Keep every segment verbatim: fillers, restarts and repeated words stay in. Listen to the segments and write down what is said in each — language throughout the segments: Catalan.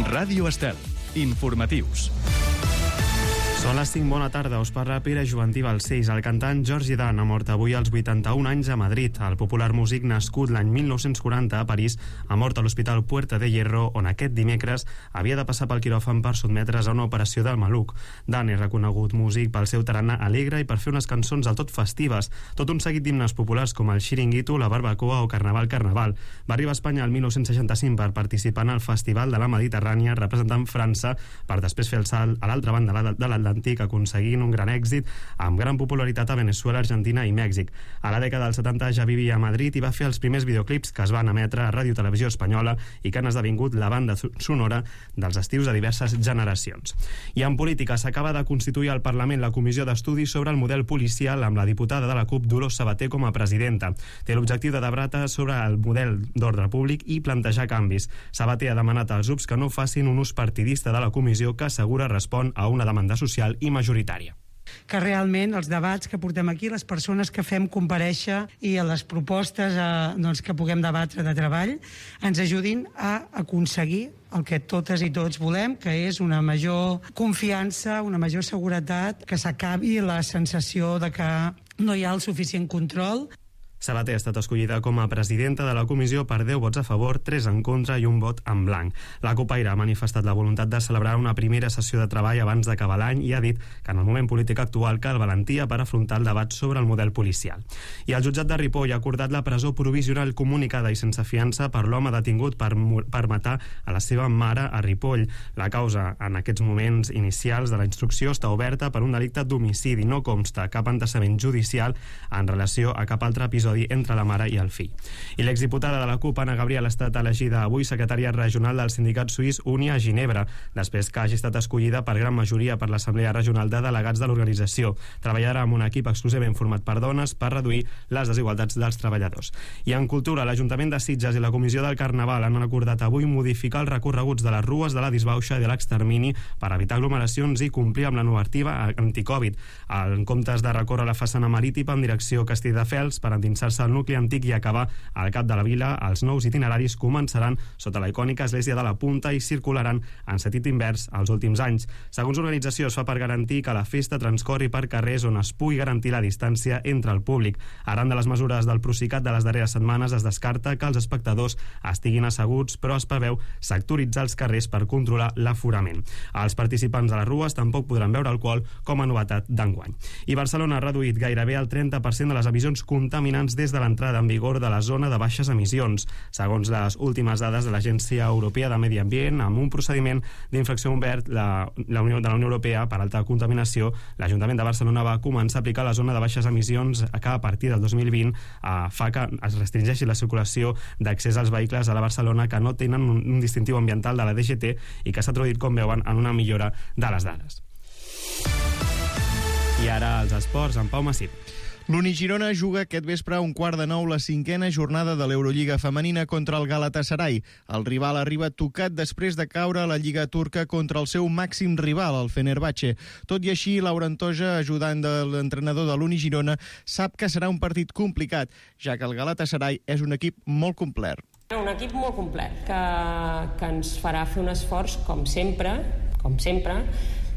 Ràdio Estel. Informatius. Són les cinc, bona tarda, us parla Pere Joventí Balcells. El cantant George Dan ha mort avui als vuitanta-un anys a Madrid. El popular músic, nascut l'any mil nou-cents quaranta a París, ha mort a l'Hospital Puerta de Hierro, on aquest dimecres havia de passar pel quiròfan per sotmetre's a una operació del maluc. Dan és reconegut músic pel seu tarannà alegre i per fer unes cançons del tot festives, tot un seguit d'himnes populars com el Xiringuito, la Barbacoa o Carnaval Carnaval. Va arribar a Espanya el mil nou-cents seixanta-cinc per participar en el Festival de la Mediterrània, representant França, per després fer el salt a l'altra banda de l'Atlàntic, aconseguint un gran èxit amb gran popularitat a Veneçuela, Argentina i Mèxic. A la dècada dels setanta ja vivia a Madrid i va fer els primers videoclips que es van emetre a Ràdio Televisió Espanyola i que han esdevingut la banda sonora dels estius de diverses generacions. I en política s'acaba de constituir al Parlament la comissió d'estudi sobre el model policial amb la diputada de la CUP, Dolors Sabater, com a presidenta. Té l'objectiu de debatre sobre el model d'ordre públic i plantejar canvis. Sabater ha demanat als grups que no facin un ús partidista de la comissió, que assegura respon a una demanda social i majoritària. Que realment els debats que portem aquí, les persones que fem comparèixer i les propostes eh, doncs, que puguem debatre de treball ens ajudin a aconseguir el que totes i tots volem, que és una major confiança, una major seguretat, que s'acabi la sensació de que no hi ha el suficient control. Sabater ha estat escollida com a presidenta de la comissió per deu vots a favor, tres en contra i un vot en blanc. La copaire ha manifestat la voluntat de celebrar una primera sessió de treball abans d'acabar l'any i ha dit que en el moment polític actual cal valentia per afrontar el debat sobre el model policial. I el jutjat de Ripoll ha acordat la presó provisional comunicada i sense fiança per l'home detingut per, per matar a la seva mare a Ripoll. La causa en aquests moments inicials de la instrucció està oberta per un delicte d'homicidi. No consta cap antecedent judicial en relació a cap altre episodi entre la mare i el fill. I l'exdiputada de la CUP, Anna Gabriel, ha estat elegida avui secretària regional del sindicat suís Unia a Ginebra, després que hagi estat escollida per gran majoria per l'Assemblea Regional de Delegats de l'organització. Treballarà amb un equip exclusivament format per dones per reduir les desigualtats dels treballadors. I en cultura, l'Ajuntament de Sitges i la Comissió del Carnaval han acordat avui modificar els recorreguts de les rues de la disbauxa i de l'extermini per evitar aglomeracions i complir amb la normativa anticovid. En comptes de recórrer la façana marítima en direcció Castelldefels per endinsar-se al nucli antic i acabar al cap de la vila, els nous itineraris començaran sota la icònica església de la Punta i circularan en sentit invers els últims anys. Segons l'organització, es fa per garantir que la festa transcorri per carrers on es pugui garantir la distància entre el públic. Arran de les mesures del Procicat de les darreres setmanes, es descarta que els espectadors estiguin asseguts, però es preveu sectoritzar els carrers per controlar l'aforament. Els participants de les rues tampoc podran beure alcohol, com a novetat d'enguany. I Barcelona ha reduït gairebé el trenta per cent de les emissions contaminants des de l'entrada en vigor de la zona de baixes emissions, segons les últimes dades de l'Agència Europea de Medi Ambient. Amb un procediment d'infracció obert la, la Unió, de la Unió Europea per alta contaminació, l'Ajuntament de Barcelona va començar a aplicar la zona de baixes emissions que a partir del dos mil vint eh, fa que es restringeixi la circulació d'accés als vehicles a la Barcelona que no tenen un, un distintiu ambiental de la D G T i que s'ha traduït, com veuen, en una millora de les dades. I ara els esports, en Pau Massip. L'Uni Girona juga aquest vespre a un quart de nou la cinquena jornada de l'Eurolliga femenina contra el Galatasaray. El rival arriba tocat després de caure a la Lliga turca contra el seu màxim rival, el Fenerbahçe. Tot i així, Laura Antoja, ajudant de l'entrenador de l'Uni Girona, sap que serà un partit complicat, ja que el Galatasaray és un equip molt complet. Un equip molt complet, que, que ens farà fer un esforç, com sempre, com sempre,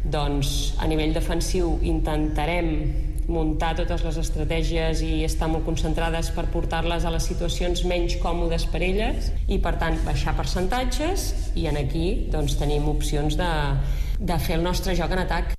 doncs a nivell defensiu intentarem muntar totes les estratègies i estar molt concentrades per portar-les a les situacions menys còmodes per elles i, per tant, baixar percentatges i en aquí doncs, tenim opcions de, de fer el nostre joc en atac.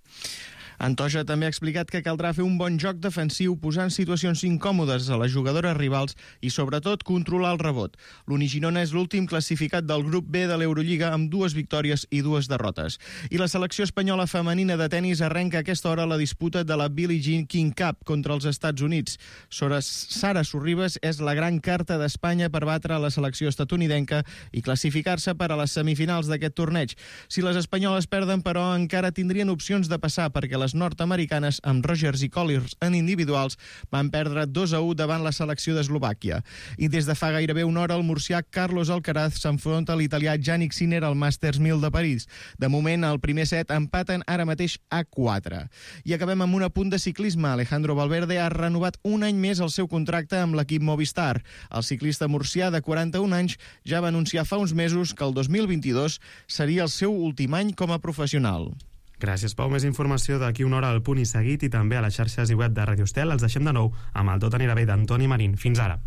Antoja també ha explicat que caldrà fer un bon joc defensiu posant situacions incòmodes a les jugadores rivals i sobretot controlar el rebot. L'Uni Girona és l'últim classificat del grup B de l'Eurolliga amb dues victòries i dues derrotes. I la selecció espanyola femenina de tennis arrenca a aquesta hora la disputa de la Billie Jean King Cup contra els Estats Units. Sara Sorribes és la gran carta d'Espanya per batre la selecció estatunidenca i classificar-se per a les semifinals d'aquest torneig. Si les espanyoles perden, però, encara tindrien opcions de passar perquè les ciclistes nord-americanes amb Rogers i Colliers en individuals van perdre dos a u davant la selecció d'Eslovàquia. I des de fa gairebé una hora el murcià Carlos Alcaraz s'enfronta a l'italià Jannik Sinner al Masters mil de París. De moment, al primer set empaten ara mateix a quatre. I acabem amb un apunt de ciclisme. Alejandro Valverde ha renovat un any més el seu contracte amb l'equip Movistar. El ciclista murcià de quaranta-un anys ja va anunciar fa uns mesos que el dos mil vint-i-dos seria el seu últim any com a professional. Gràcies, Pau. Més informació d'aquí una hora al Punt i Seguit i també a les xarxes i web de Radio Estel. Els deixem de nou amb el Tot anirà bé d'Antoni Marín. Fins ara.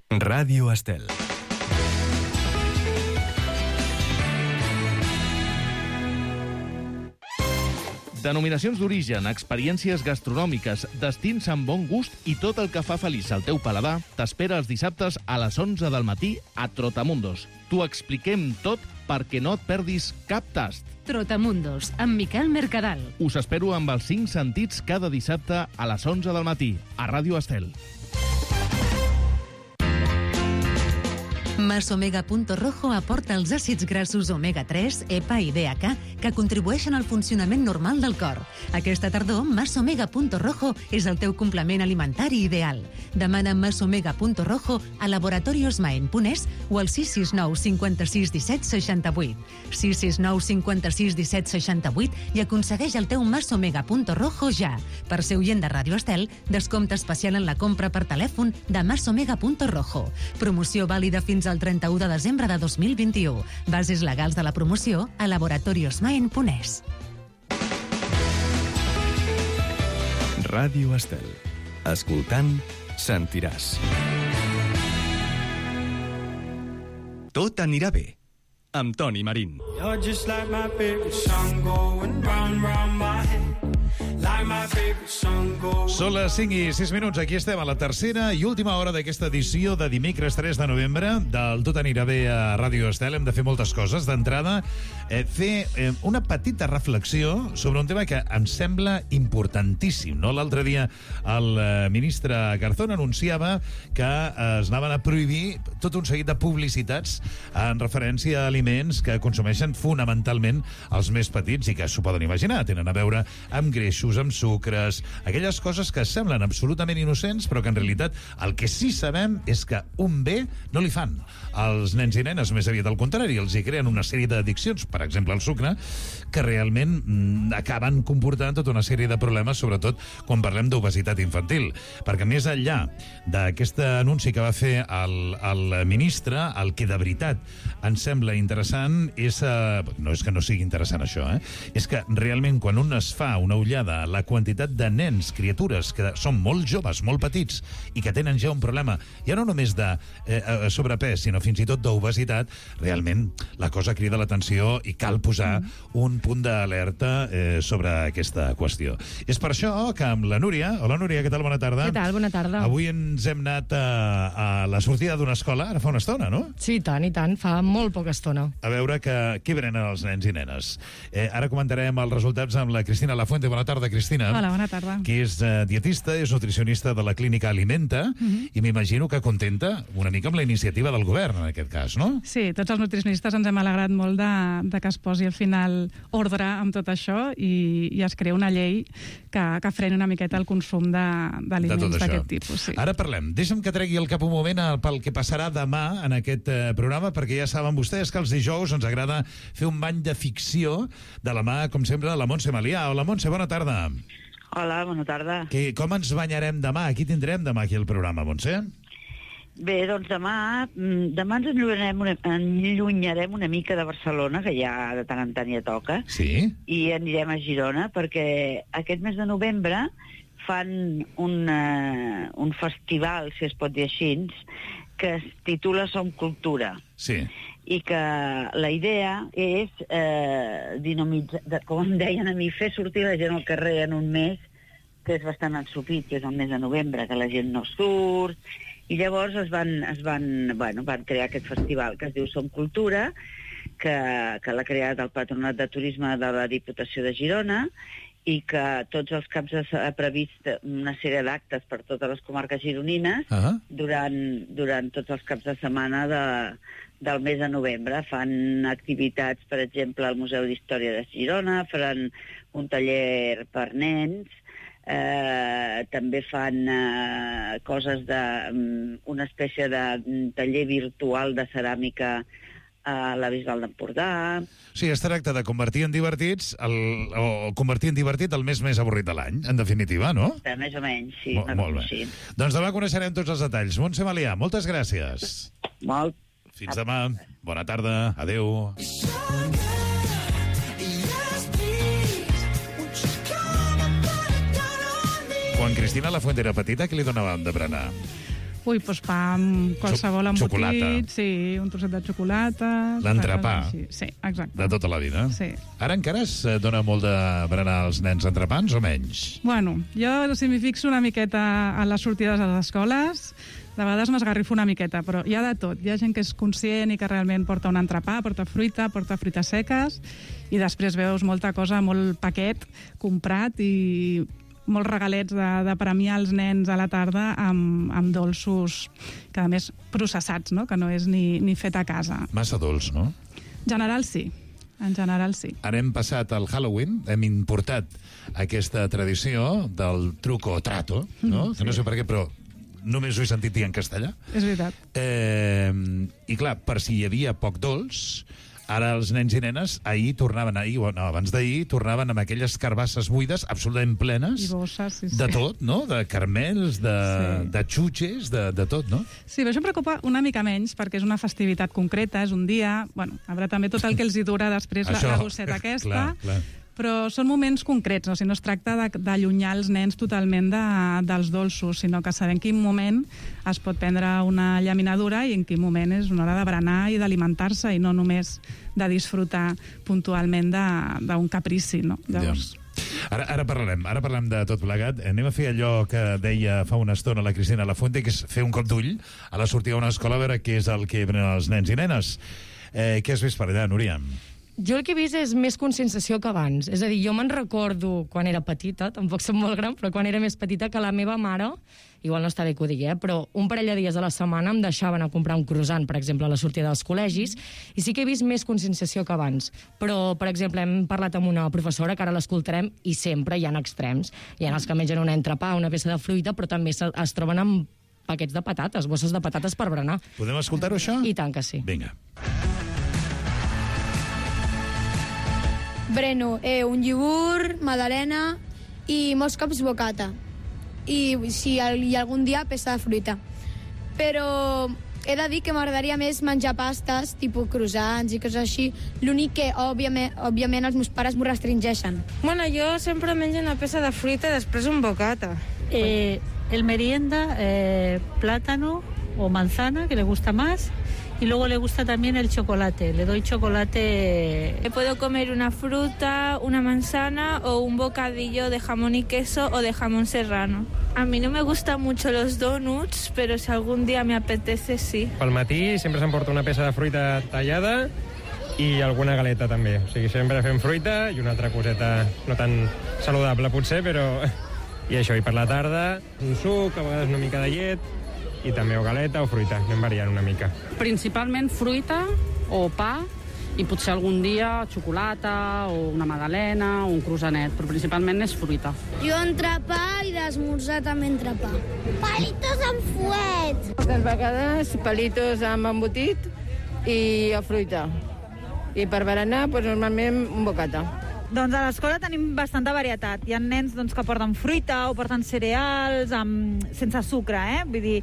Ràdio Estel. Denominacions d'origen, experiències gastronòmiques, destins amb bon gust i tot el que fa feliç al teu paladar t'espera els dissabtes a les onze del matí a Trotamundos. T'ho expliquem tot perquè no et perdis cap tast. Trotamundos, amb Miquel Mercadal. Us espero amb els cinc sentits cada dissabte a les onze del matí a Ràdio Estel. Masomega.rojo aporta els àcids grassos omega tres, E P A i D H A que contribueixen al funcionament normal del cor. Aquesta tardor, Masomega.rojo és el teu complement alimentari ideal. Demana Masomega.rojo a laboratorios maen punt es o al sis sis nou cinquanta-sis disset seixanta-vuit. sis sis nou cinquanta-sis disset seixanta-vuit i aconsegueix el teu Masomega.rojo ja. Per ser oient de Ràdio Estel, descompte especial en la compra per telèfon de Masomega.rojo. Promoció vàlida fins al trenta-u de desembre de dos mil vint-i-u. Bases legals de la promoció a laboratorios maen punt es. Ràdio Estel. Escoltant, sentiràs. Tot anirà bé, amb Toni Marín. You're just like my favorite song going round, round my head. Like my favorite song going... Són les cinc i sis minuts. Aquí estem a la tercera i última hora d'aquesta edició de dimecres tres de novembre del Tot anirà bé a Ràdio Estel. Hem de fer moltes coses. D'entrada, eh, fer eh, una petita reflexió sobre un tema que em sembla importantíssim. No? L'altre dia el eh, ministre Garzón anunciava que eh, es anaven a prohibir tot un seguit de publicitats en referència a aliments que consumeixen fonamentalment els més petits i que s'ho poden imaginar. Tenen a veure amb greixos, amb sucres, aquelles coses que semblen absolutament innocents, però que en realitat el que sí sabem és que un bé no li fan als nens i nenes, més aviat al contrari, els hi creen una sèrie d'addiccions, per exemple el sucre, que realment mm, acaben comportant tota una sèrie de problemes, sobretot quan parlem d'obesitat infantil. Perquè més enllà d'aquest anunci que va fer el, el ministre, el que de veritat ens sembla interessant és... Eh, no és que no sigui interessant això, eh? És que realment quan un es fa una ullada a la quantitat de nens, criatures, que són molt joves, molt petits, i que tenen ja un problema, ja no només de eh, sobrepès, sinó fins i tot d'obesitat, realment la cosa crida l'atenció i cal posar un punt d'alerta eh, sobre aquesta qüestió. És per això que amb la Núria... Hola, Núria, què tal? Bona tarda. Què tal? Bona tarda. Avui ens hem anat a, a la sortida d'una escola, ara fa una estona, no? Sí, tant i tant, fa molt poca estona. A veure que, què brenen els nens i nenes. Eh, ara comentarem els resultats amb la Cristina Lafuente. Bona tarda, Cristina. Hola, bona tarda. Que és eh, dietista, és nutricionista de la clínica Alimenta, uh-huh. i m'imagino que contenta una mica amb la iniciativa del govern, en aquest cas, no? Sí, tots els nutricionistes ens hem alegrat molt de, de que es posi al final ordre amb tot això i, i es crea una llei que, que freni una miqueta el consum d'aliments d'aquest tipus. Sí. Ara parlem. Deixa'm que tregui el cap un moment pel que passarà demà en aquest eh, programa, perquè ja saben vostès que els dijous ens agrada fer un bany de ficció de la mà, com sempre, de la Montse Malià. Hola, Montse, bona tarda. Hola, bona tarda. Que, com ens banyarem demà? Qui tindrem demà aquí al programa, Montse? Bé, doncs demà, demà ens enllunyarem una, enllunyarem una mica de Barcelona, que ja de tant en tant ja toca, sí? I anirem a Girona, perquè aquest mes de novembre fan un, uh, un festival, si es pot dir així, que es titula Som Cultura. Sí. I que la idea és, eh, dinamitzar, com em deien a mi, fer sortir la gent al carrer en un mes que és bastant ensupit, que és el mes de novembre, que la gent no surt, i llavors es van, es van, bueno, van crear aquest festival que es diu Som Cultura, que, que l'ha creat el Patronat de Turisme de la Diputació de Girona, i que tots els caps ha previst una sèrie d'actes per totes les comarques gironines uh-huh. durant, durant tots els caps de setmana de, del mes de novembre. Fan activitats, per exemple, al Museu d'Història de Girona, faran un taller per nens, eh, també fan eh, coses de... Um, una espècie de um, taller virtual de ceràmica a la Bisbal d'Empordà. Sí, es tracta de convertir en divertits el, o convertir en divertit el mes més avorrit de l'any, en definitiva, no? Eh, més o menys, sí. Molt, molt bé. Sí. Doncs demà coneixerem tots els detalls. Montse Malià, moltes gràcies. Molt. Fins demà. Bona tarda. Adéu. Quan Cristina Lafuente era petita, què li donàvem de berenar? Ui, doncs pa amb qualsevol embotit, xocolata. Sí, un trosset de xocolata... L'entrepà. Sí, exacte. De tota la vida. Sí. Ara encara es dona molt de berenar als nens entrepans o menys? Bueno, jo si m'hi fixo una miqueta a les sortides a les escoles, de vegades m'esgarrifo una miqueta, però hi ha de tot. Hi ha gent que és conscient i que realment porta un entrepà, porta fruita, porta fruites seques, i després veus molta cosa, molt paquet comprat i molts regalets de, de premiar els nens a la tarda amb, amb dolços, que a més processats, no? Que no és ni, ni fet a casa. Massa dolç, no? En general sí, en general sí. Ara hem passat al Halloween, hem importat aquesta tradició del truco o trato, no? Mm, sí. Que no sé per què, però només ho he sentit dir en castellà. És veritat. Eh, I clar, per si hi havia poc dolç, ara els nens i nenes ahir tornaven, ahir, no, abans d'ahir, tornaven amb aquelles carbasses buides absolutament plenes. I bosses, sí, sí. De tot, no? De caramels, de, sí. de xutxes, de, de tot, no? Sí, però això em preocupa una mica menys, perquè és una festivitat concreta, és un dia... Bueno, haurà també tot el que els hi dura després això, la, la gosseta aquesta, clar, clar. Però són moments concrets, no? O sigui, no es tracta d'allunyar els nens totalment de, dels dolços, sinó que saber en quin moment es pot prendre una llaminadura i en quin moment és una hora de berenar i d'alimentar-se i no només de disfrutar puntualment d'un caprici, no? Llavors... Ja. Ara, ara parlarem, ara parlem de tot plegat. Anem a fer allò que deia fa una estona la Cristina Lafuente, que és fer un cop d'ull a la sortida d'una escola a veure què és el que prenen els nens i nenes. Eh, què has vist per allà, Núria? Jo el que he vist és més conscienciació que abans. És a dir, jo me'n recordo quan era petita, tampoc som molt gran, però quan era més petita, que la meva mare, igual no està bé que ho digui, eh, però un parell de dies a la setmana em deixaven a comprar un croissant, per exemple, a la sortida dels col·legis, i sí que he vist més conscienciació que abans. Però, per exemple, hem parlat amb una professora, que ara l'escoltarem, i sempre hi ha extrems. Hi ha els que mengen un entrepà, una peça de fruita, però també es troben amb paquets de patates, bosses de patates per berenar. Podem escoltar-ho, això? I tant que sí. Vinga. Breno eh, un iogurt, magdalena i molts cops bocata. I si hi ha algun dia peça de fruita. Però he de dir que m'agradaria més menjar pastes, tipus croissants i coses així. L'únic que, òbviament, òbviament, els meus pares m'ho restringeixen. Bueno, jo sempre menjo una peça de fruita i després un bocata. Eh, el merienda, eh, plátano o manzana, que le gusta más. Y luego le gusta también el chocolate. Le doy chocolate... Puedo comer una fruta, una manzana o un bocadillo de jamón y queso o de jamón serrano. A mí no me gustan mucho los donuts, pero si algún día me apetece, sí. Pel matí sempre s'emporta una peça de fruita tallada i alguna galeta també. O sigui, sempre fem fruita i una altra coseta no tan saludable potser, però... I això, i per la tarda un suc, a vegades una mica de llet, i també o galeta o fruita, anem variant una mica. Principalment fruita o pa i potser algun dia xocolata o una magdalena o un croissanet, però principalment és fruita. Jo entrepà i d'esmorzar també entrepà. Palitos amb fuet! Moltes vegades palitos amb embotit i a fruita. I per berenar, doncs, normalment un bocata. Doncs a l'escola tenim bastanta varietat. Hi ha nens doncs, que porten fruita o porten cereals amb, sense sucre, eh? Vull dir,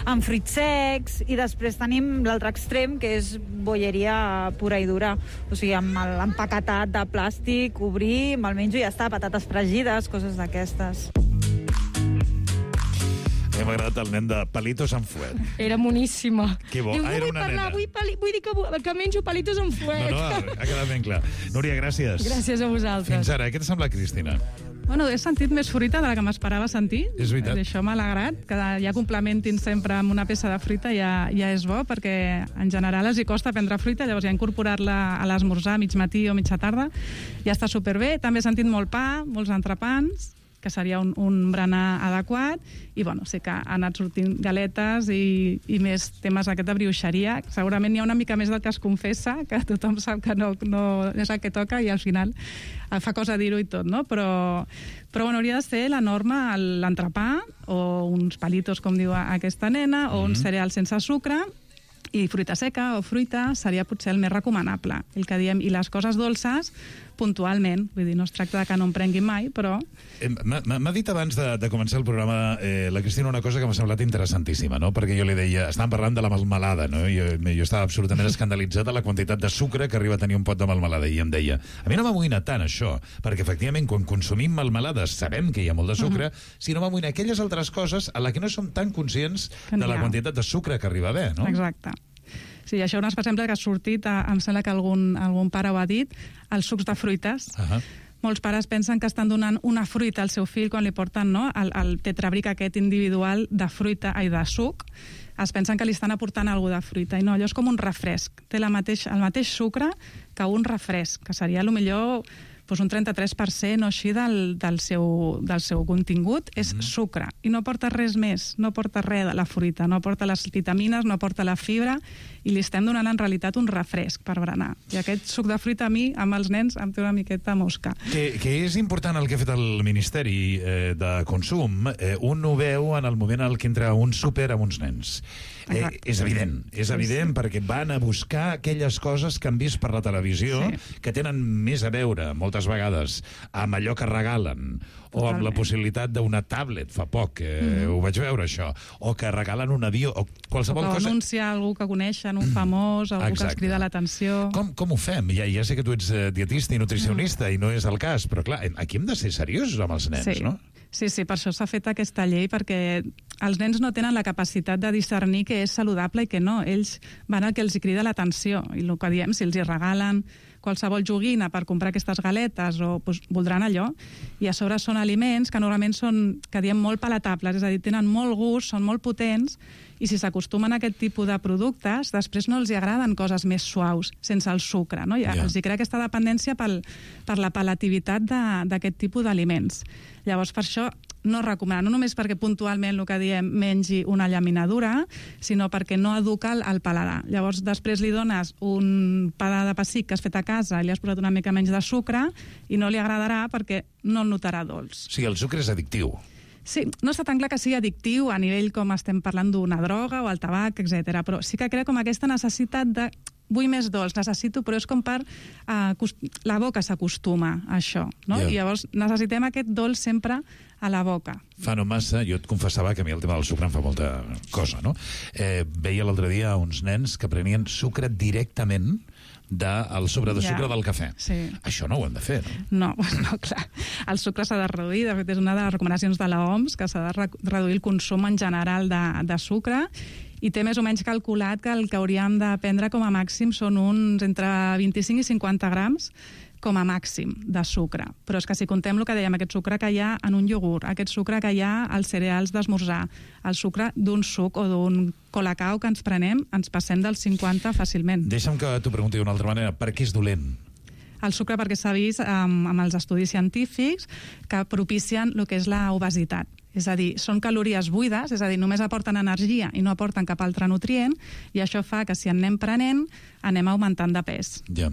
amb fruits secs, i després tenim l'altre extrem, que és bolleria pura i dura. O sigui, amb l'empaquetat de plàstic, obrir, me'l menjo i ja està, patates fregides, coses d'aquestes. M'ha agradat el nen de Palitos amb fuet. Era moníssima. Que bo. Diu, ah, era una parlar, nena. Vull, pali, vull dir que, que menjo palitos amb fuet. No, no, ha quedat ben clar. Núria, gràcies. Gràcies a vosaltres. Fins ara, què t'ha semblat, Cristina? Bueno, he sentit més fruita de la que m'esperava sentir. És veritat. Això m'ha alegrat, que ja complementin sempre amb una peça de fruita ja, ja és bo, perquè en general els hi costa prendre fruita, llavors ja incorporar-la a l'esmorzar, mig matí o mitja tarda, ja està superbé. També he sentit molt pa, molts entrepans, que seria un, un berenar adequat, i bueno, sé que han anat sortint galetes i, i més temes aquest de brioixeria. Segurament hi ha una mica més del que es confessa, que tothom sap que no, no és el que toca i al final fa cosa dir-ho i tot, no? Però, però bueno, hauria de ser la norma l'entrepà o uns palitos, com diu aquesta nena, o mm-hmm. un cereal sense sucre, i fruita seca o fruita seria potser el més recomanable. El que diem, i les coses dolces, puntualment. Vull dir, no es tracta de que no em prenguin mai, però... Eh, M'ha dit abans de, de començar el programa eh, la Cristina una cosa que m'ha semblat interessantíssima, no? Perquè jo li deia, estàvem parlant de la melmelada, no? Jo, jo estava absolutament escandalitzat de la quantitat de sucre que arriba a tenir un pot de melmelada, i em deia, a mi no m'amoïna tant això, perquè efectivament quan consumim melmelades sabem que hi ha molt de sucre, uh-huh. sinó m'amoïna aquelles altres coses a la que no som tan conscients de la quantitat de sucre que arriba a haver, no? Exacte. Sí, això és un exemple que ha sortit, em sembla que algun, algun pare ho ha dit, els sucs de fruites. Uh-huh. Molts pares pensen que estan donant una fruita al seu fill quan li porten, no, el, el tetrabric aquest individual de fruita i de suc. Es pensen que li estan aportant alguna de fruita, i no, allò és com un refresc. Té la mateix, el mateix sucre que un refresc, que seria potser doncs un trenta-tres per cent o així del, del, seu, del seu contingut és mm. sucre, i no porta res més, no porta res de la fruita, no porta les vitamines, no porta la fibra, i li estem donant en realitat un refresc per berenar. I aquest suc de fruita a mi, amb els nens, em té una miqueta mosca. Que, que és important el que ha fet el Ministeri eh, de Consum. Eh, un ho veu en el moment en què entra un súper amb uns nens. Eh, és evident, és evident, sí, sí. perquè van a buscar aquelles coses que han vist per la televisió, sí. que tenen més a veure, moltes vegades, amb allò que regalen, o amb la possibilitat d'una tablet, fa poc, eh, mm-hmm. ho vaig veure això, o que regalen un avió, o qualsevol o cosa... O anuncia algú que coneixen, un famós, algú Exacte. Que els crida l'atenció... Com, com ho fem? Ja, ja sé que tu ets dietista i nutricionista, mm. i no és el cas, però clar, aquí hem de ser seriosos amb els nens, sí. no? Sí, sí, per això s'ha fet aquesta llei, perquè els nens no tenen la capacitat de discernir què és saludable i què no. Ells van al que els crida l'atenció, i el que diem, si els hi regalen qualsevol joguina per comprar aquestes galetes, o doncs, voldran allò, i a sobre són aliments que normalment són, que diem, molt palatables, és a dir, tenen molt gust, són molt potents, i si s'acostumen a aquest tipus de productes, després no els hi agraden coses més suaus, sense el sucre, no? Ja, yeah. Els hi crea aquesta dependència pel, per la palativitat d'aquest tipus d'aliments. Llavors, per això no recomanar, no només perquè puntualment el que diem mengi una llaminadura, sinó perquè no educa el, el paladar. Llavors, després li dones un pa de pessic que has fet a casa i li has posat una mica menys de sucre i no li agradarà perquè no el notarà dolç. O sigui, el sucre és addictiu. Sí, no està tan clar que sigui addictiu a nivell com estem parlant d'una droga o el tabac, etcètera, però sí que crea com aquesta necessitat de vull més dolç, necessito, però és com per... Uh, la boca s'acostuma a això, no? Yeah. I llavors necessitem aquest dolç sempre a la boca. Fa no massa, jo et confessava que a mi el tema del sucre em fa molta cosa, no? Eh, veia l'altre dia uns nens que prenien sucre directament del sobre de sucre ja. Del cafè. Sí. Això no ho hem de fer, no? No, no, clar. El sucre s'ha de reduir, de fet és una de les recomanacions de l'O M S, que s'ha de re reduir el consum en general de, de sucre, i té més o menys calculat que el que hauríem de prendre com a màxim són uns entre vint-i-cinc i cinquanta grams com a màxim de sucre. Però és que si contem el que dèiem, aquest sucre que hi ha en un iogurt, aquest sucre que hi ha als cereals d'esmorzar, el sucre d'un suc o d'un colacao que ens prenem, ens passem dels cinquanta fàcilment. Deixa'm que t'ho pregunti d'una altra manera. Per què és dolent? El sucre perquè s'ha vist um, amb els estudis científics que propicien el que és la obesitat. És a dir, són calories buides, és a dir, només aporten energia i no aporten cap altre nutrient, i això fa que si en anem prenent, anem augmentant de pes. Ja.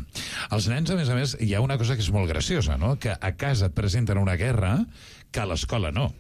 Els nens, a més a més, hi ha una cosa que és molt graciosa, no? Que a casa et presenten una guerra que a l'escola no.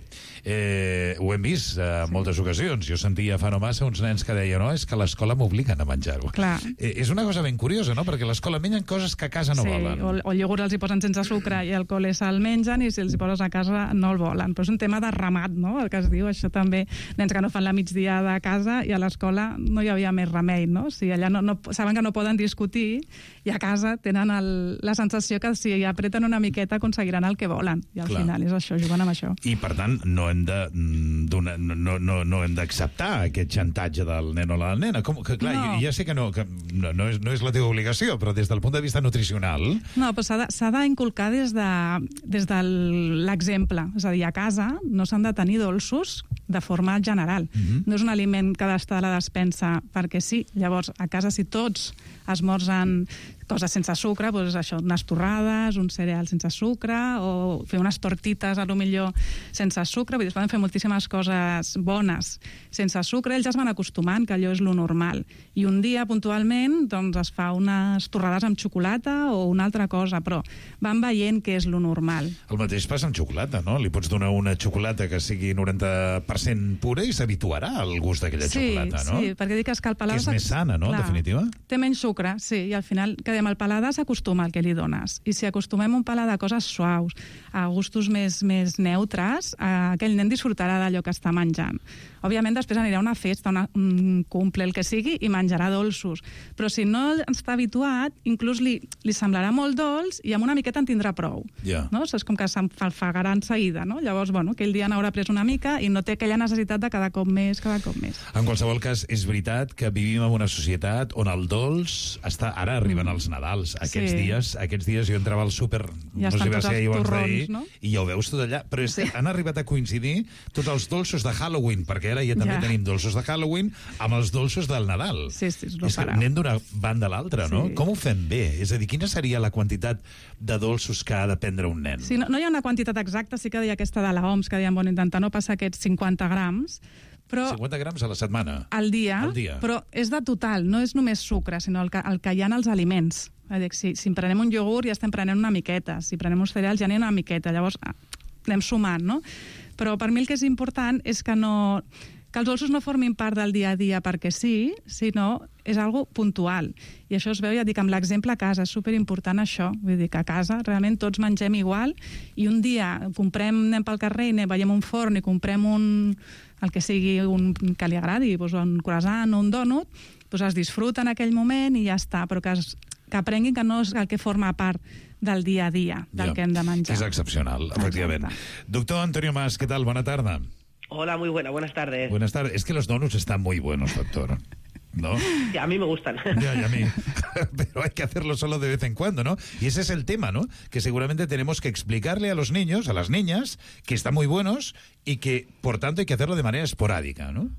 Eh, ho hem vist en sí. moltes ocasions. Jo sentia fa no massa uns nens que deien no, és que a l'escola m'obliguen a menjar-ho. Eh, és una cosa ben curiosa, no? Perquè a l'escola mengen coses que a casa no sí, volen. O, o el iogurt els hi posen sense sucre i el col·le se'l mengen, i si els hi poses a casa no el volen. Però és un tema de ramat, no? El que es diu, això també, nens que no fan la migdia de casa i a l'escola no hi havia més remei, no? Si allà no, no, saben que no poden discutir, i a casa tenen el, la sensació que si apreten una miqueta aconseguiran el que volen, i al Clar. Final és això, juguen amb això. I per tant no hem de no, no, no hem d'acceptar aquest xantatge del nen o la nena. Com, que, clar, no. ja sé que, no, que no, no, és, no és la teva obligació, però des del punt de vista nutricional... No, però s'ha d'inculcar des de, des de l'exemple. És a dir, a casa no s'han de tenir dolços de forma general. Mm-hmm. No és un aliment que ha d'estar a la despensa perquè sí. Llavors, a casa, si tots esmorzen coses sense sucre, doncs això, unes torrades, un cereal sense sucre, o fer unes tortites, a lo millor, sense sucre. Vull dir, es poden fer moltíssimes coses bones sense sucre. Ells ja es van acostumant, que allò és lo normal. I un dia, puntualment, doncs es fa unes torrades amb xocolata o una altra cosa, però van veient què és lo normal. El mateix passa amb xocolata, no? Li pots donar una xocolata que sigui noranta per cent pura i s'habituarà al gust d'aquella sí, xocolata, no? Sí, perquè dic que, que el paladar... Que és més sana, no?, en definitiva. Té menys sucre, sí, i al final, que dèiem, el paladar s'acostuma al que li dones. I si acostumem un paladar a coses suaus, a gustos més, més neutres, aquell nen disfrutarà d'allò que està menjant. Òbviament, després anirà a una festa, una, un cumple, el que sigui, i menjarà dolços. Però si no està habituat, inclús li, li semblarà molt dolç i amb una miqueta en tindrà prou. Yeah. No? És com que s'enfagarà en seguida, no? Llavors, bueno, aquell dia n'haurà pres una mica i no té aquella necessitat de cada cop més, cada cop més. En qualsevol cas, és veritat que vivim en una societat on el dolç està... Ara arriben els Nadals. Aquests Sí. dies aquests dies jo entrava al súper, Ja no sé estan si va tots ser els ahir o abans torrons, d'ahir, no? i ja ho veus tot allà. Però és que han arribat a coincidir tots els dolços de Halloween, perquè ara ja també Ja. tenim dolços de Halloween amb els dolços del Nadal. Sí, sí, és no És que farà. anem d'una banda a l'altra, no? Sí. Com ho fem bé? És a dir, quina seria la quantitat de dolços que ha de prendre un nen? Sí, no, no hi ha una quantitat exacta, sí que deia aquesta de la O M S, que deien, bueno, intentar no passar aquests cinquanta grams, però cinquanta grams a la setmana? al dia, Al dia. però és de total, no és només sucre, sinó el que, el que hi ha en els aliments. És a dir, si, si prenem un iogurt ja estem prenent una miqueta, si prenem uns cereals ja n'hi ha una miqueta, llavors ah, anem sumant, no? Però per mi el que és important és que no... que els dolços no formin part del dia a dia perquè sí, sinó és algo puntual. I això es veu, ja dic, amb l'exemple a casa, és superimportant això. Vull dir que a casa realment tots mengem igual i un dia comprem, anem pel carrer i anem, veiem un forn i comprem un, el que sigui un, que li agradi, doncs un croissant o un dònut, doncs es disfruta en aquell moment i ja està, però que, es, que aprenguin que no és el que forma part del dia a dia, del Ja, que hem de menjar. És excepcional, efectivament. Doctor Antonio Mas, ¿qué tal? Buena tarde. Hola, muy buena, buenas tardes. Buenas tardes. Es que los donuts están muy buenos, doctor. ¿No? Sí, a mí me gustan. Ya, ya a mí. Pero hay que hacerlo solo de vez en cuando, ¿no? Y ese es el tema, ¿no? Que seguramente tenemos que explicarle a los niños, a las niñas, que están muy buenos y que, por tanto, hay que hacerlo de manera esporádica, ¿no?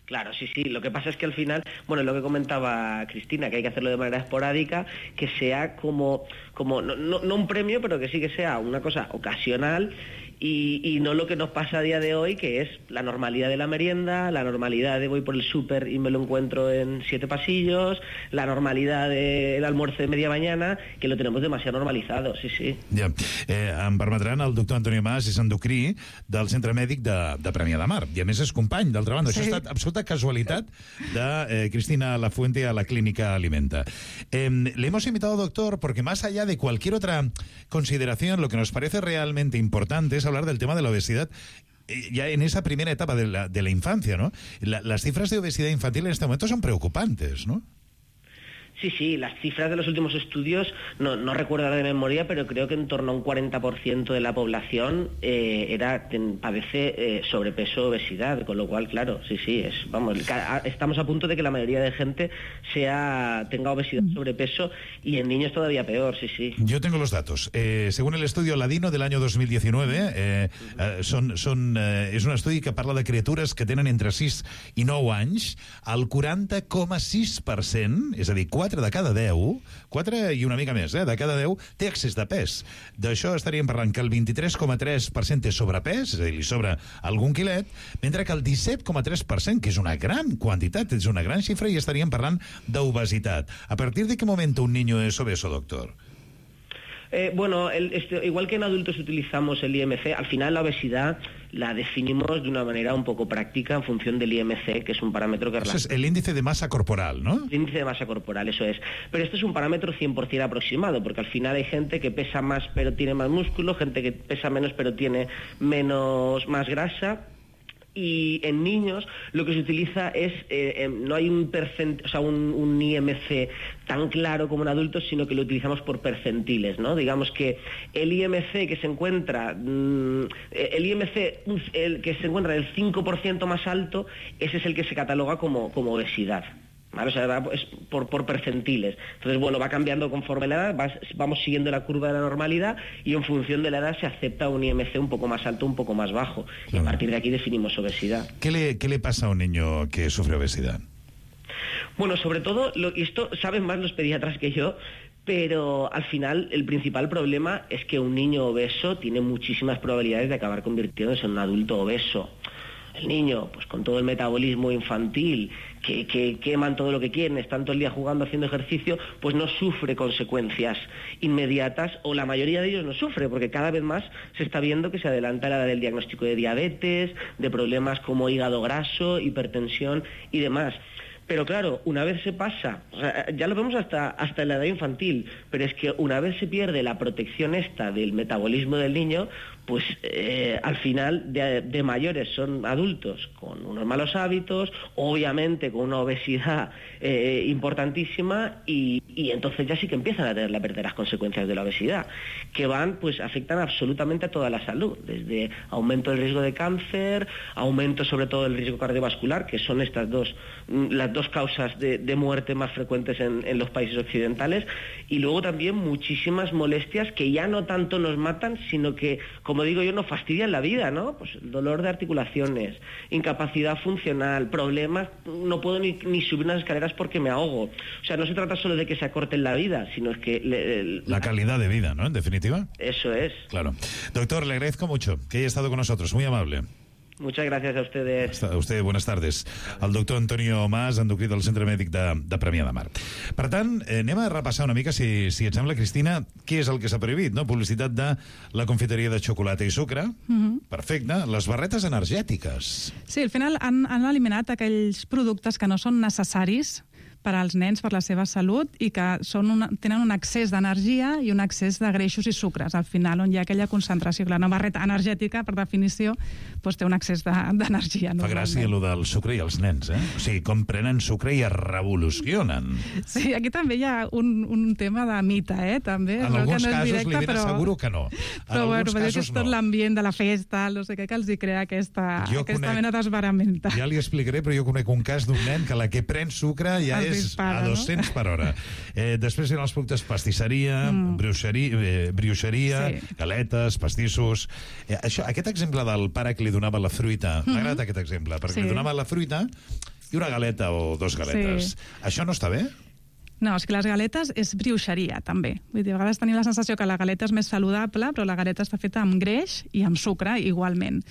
Claro, sí, sí. Lo que pasa es que al final, bueno, lo que comentaba Cristina, que hay que hacerlo de manera esporádica, que sea como, como no, no, no un premio, pero que sí que sea una cosa ocasional y, y no lo que nos pasa a día de hoy, que es la normalidad de la merienda, la normalidad de voy por el súper y me lo encuentro en siete pasillos, la normalidad del almuerzo de media mañana, que lo tenemos demasiado normalizado, sí, sí. Ja. Eh, em permetran, el doctor Antonio Mas és endocrí del Centre Mèdic de, de Premià de Mar, i a més és company, d'altra banda. Sí. Això ha estat absoluta casualitat de eh, Cristina Lafuente a la Clínica Alimenta. Eh, le hemos invitado, doctor, porque más allá de cualquier otra consideración, lo que nos parece realmente importante es hablar del tema de la obesidad eh, ya en esa primera etapa de la, de la infancia, ¿no? La, las cifras de obesidad infantil en este momento son preocupantes, ¿no? Sí, sí, las cifras de los últimos estudios, no, no recuerdo ahora de memoria, pero creo que en torno a un cuarenta por ciento de la población eh, era ten, padece eh, sobrepeso o obesidad, con lo cual, claro, sí, sí, es, vamos, estamos a punto de que la mayoría de gente sea tenga obesidad, sobrepeso, y en niños todavía peor, sí, sí. Yo tengo los datos. Eh, según el estudio Ladino del año dos mil diecinueve, eh, eh, son, son, eh, és un estudi que parla de criatures que tenen entre sis i nou anys, el quaranta coma sis per cent, és a dir, quatre de cada deu, quatre i una mica més, eh, de cada deu, té excés de pes. D'això estaríem parlant que el vint-i-tres coma tres per cent té sobrepès, és a dir, li sobra algun quilet, mentre que el disset coma tres per cent, que és una gran quantitat, és una gran xifra, i estaríem parlant d'obesitat. A partir de qué momento un niño es obeso, doctor? Eh, bueno, el, este, igual que en adultos utilizamos el I M C, al final la obesidad la definimos de una manera un poco práctica en función del I M C, que es un parámetro que... Eso es el índice de masa corporal, ¿no? El índice de masa corporal, eso es. Pero esto es un parámetro cien por ciento aproximado, porque al final hay gente que pesa más pero tiene más músculo, gente que pesa menos pero tiene menos más grasa. Y en niños lo que se utiliza es, eh, eh, no hay un, percent, o sea, un, un I M C tan claro como en adultos, sino que lo utilizamos por percentiles, ¿no? Digamos que el I M C que se encuentra, mmm, el I M C el que se encuentra del cinco por ciento más alto, ese es el que se cataloga como, como obesidad. ¿Vale? O sea, es por, por percentiles. Entonces, bueno, va cambiando conforme la edad, va, vamos siguiendo la curva de la normalidad y en función de la edad se acepta un I M C un poco más alto, un poco más bajo. Y a partir de aquí definimos obesidad. ¿Qué le, qué le pasa a un niño que sufre obesidad? Bueno, sobre todo, lo, y esto saben más los pediatras que yo, pero al final el principal problema es que un niño obeso tiene muchísimas probabilidades de acabar convirtiéndose en un adulto obeso. El niño, pues con todo el metabolismo infantil, que, que queman todo lo que quieren, están todo el día jugando, haciendo ejercicio, pues no sufre consecuencias inmediatas, o la mayoría de ellos no sufre, porque cada vez más se está viendo que se adelanta la edad del diagnóstico de diabetes, de problemas como hígado graso, hipertensión y demás. Pero claro, una vez se pasa, o sea, ya lo vemos hasta, hasta en la edad infantil, pero es que una vez se pierde la protección esta del metabolismo del niño, pues eh, al final de, de mayores son adultos con unos malos hábitos, obviamente con una obesidad eh, importantísima, y, y entonces ya sí que empiezan a tener las verdaderas consecuencias de la obesidad, que van, pues afectan absolutamente a toda la salud, desde aumento del riesgo de cáncer, aumento sobre todo del riesgo cardiovascular, que son estas dos, las dos causas de, de muerte más frecuentes en, en los países occidentales, y luego también muchísimas molestias que ya no tanto nos matan, sino que, como digo yo, nos fastidian la vida, ¿no? Pues dolor de articulaciones, incapacidad funcional, problemas, no puedo ni, ni subir unas escaleras porque me ahogo. O sea, no se trata solo de que se acorte la vida, sino es que... Le, le, la calidad de vida, ¿no? En definitiva. Eso es. Claro. Doctor, le agradezco mucho que haya estado con nosotros, muy amable. Muchas gracias a ustedes. A usted, buenas tardes. El doctor Antonio Mas, endocrí del Centre Mèdic de, de Premià de Mar. Per tant, eh, anem a repassar una mica, si, si et sembla, Cristina, què és el que s'ha prohibit, no? Publicitat de la confiteria de xocolata i sucre. Mm-hmm. Perfecte. Les barretes energètiques. Sí, al final han, han eliminat aquells productes que no són necessaris per als nens, per la seva salut, i que són una, tenen un excés d'energia i un excés de greixos i sucres. Al final, on hi ha aquella concentració. Clar, una barreta energètica, per definició, doncs té un excés d'energia. De, Fa gràcia allò del sucre i els nens, eh? O sigui, com prenen sucre i es revolucionen. Sí, aquí també hi ha un, un tema de mite, eh? També. En alguns no casos directe, li ben però... asseguro que no. En però bueno, casos és tot no. l'ambient de la festa, no sé què, que els hi crea aquesta, Jo aquesta conec... mena d'esveramenta. Ja li explicaré, però jo conec un cas d'un nen que la que pren sucre ja Els és dispara, a dos-cents per hora. Eh, després eren els productes pastisseria, mm. brioixeria, eh, brioixeria sí. galetes, pastissos... Eh, això, aquest exemple del pare que li donava la fruita, mm-hmm. m'ha agradat aquest exemple, perquè sí. li donava la fruita i una galeta o dos galetes. Sí. Això no està bé? No, és que les galetes és brioixeria, també. Vull dir, a vegades tenim la sensació que la galeta és més saludable, però la galeta està feta amb greix i amb sucre, igualment.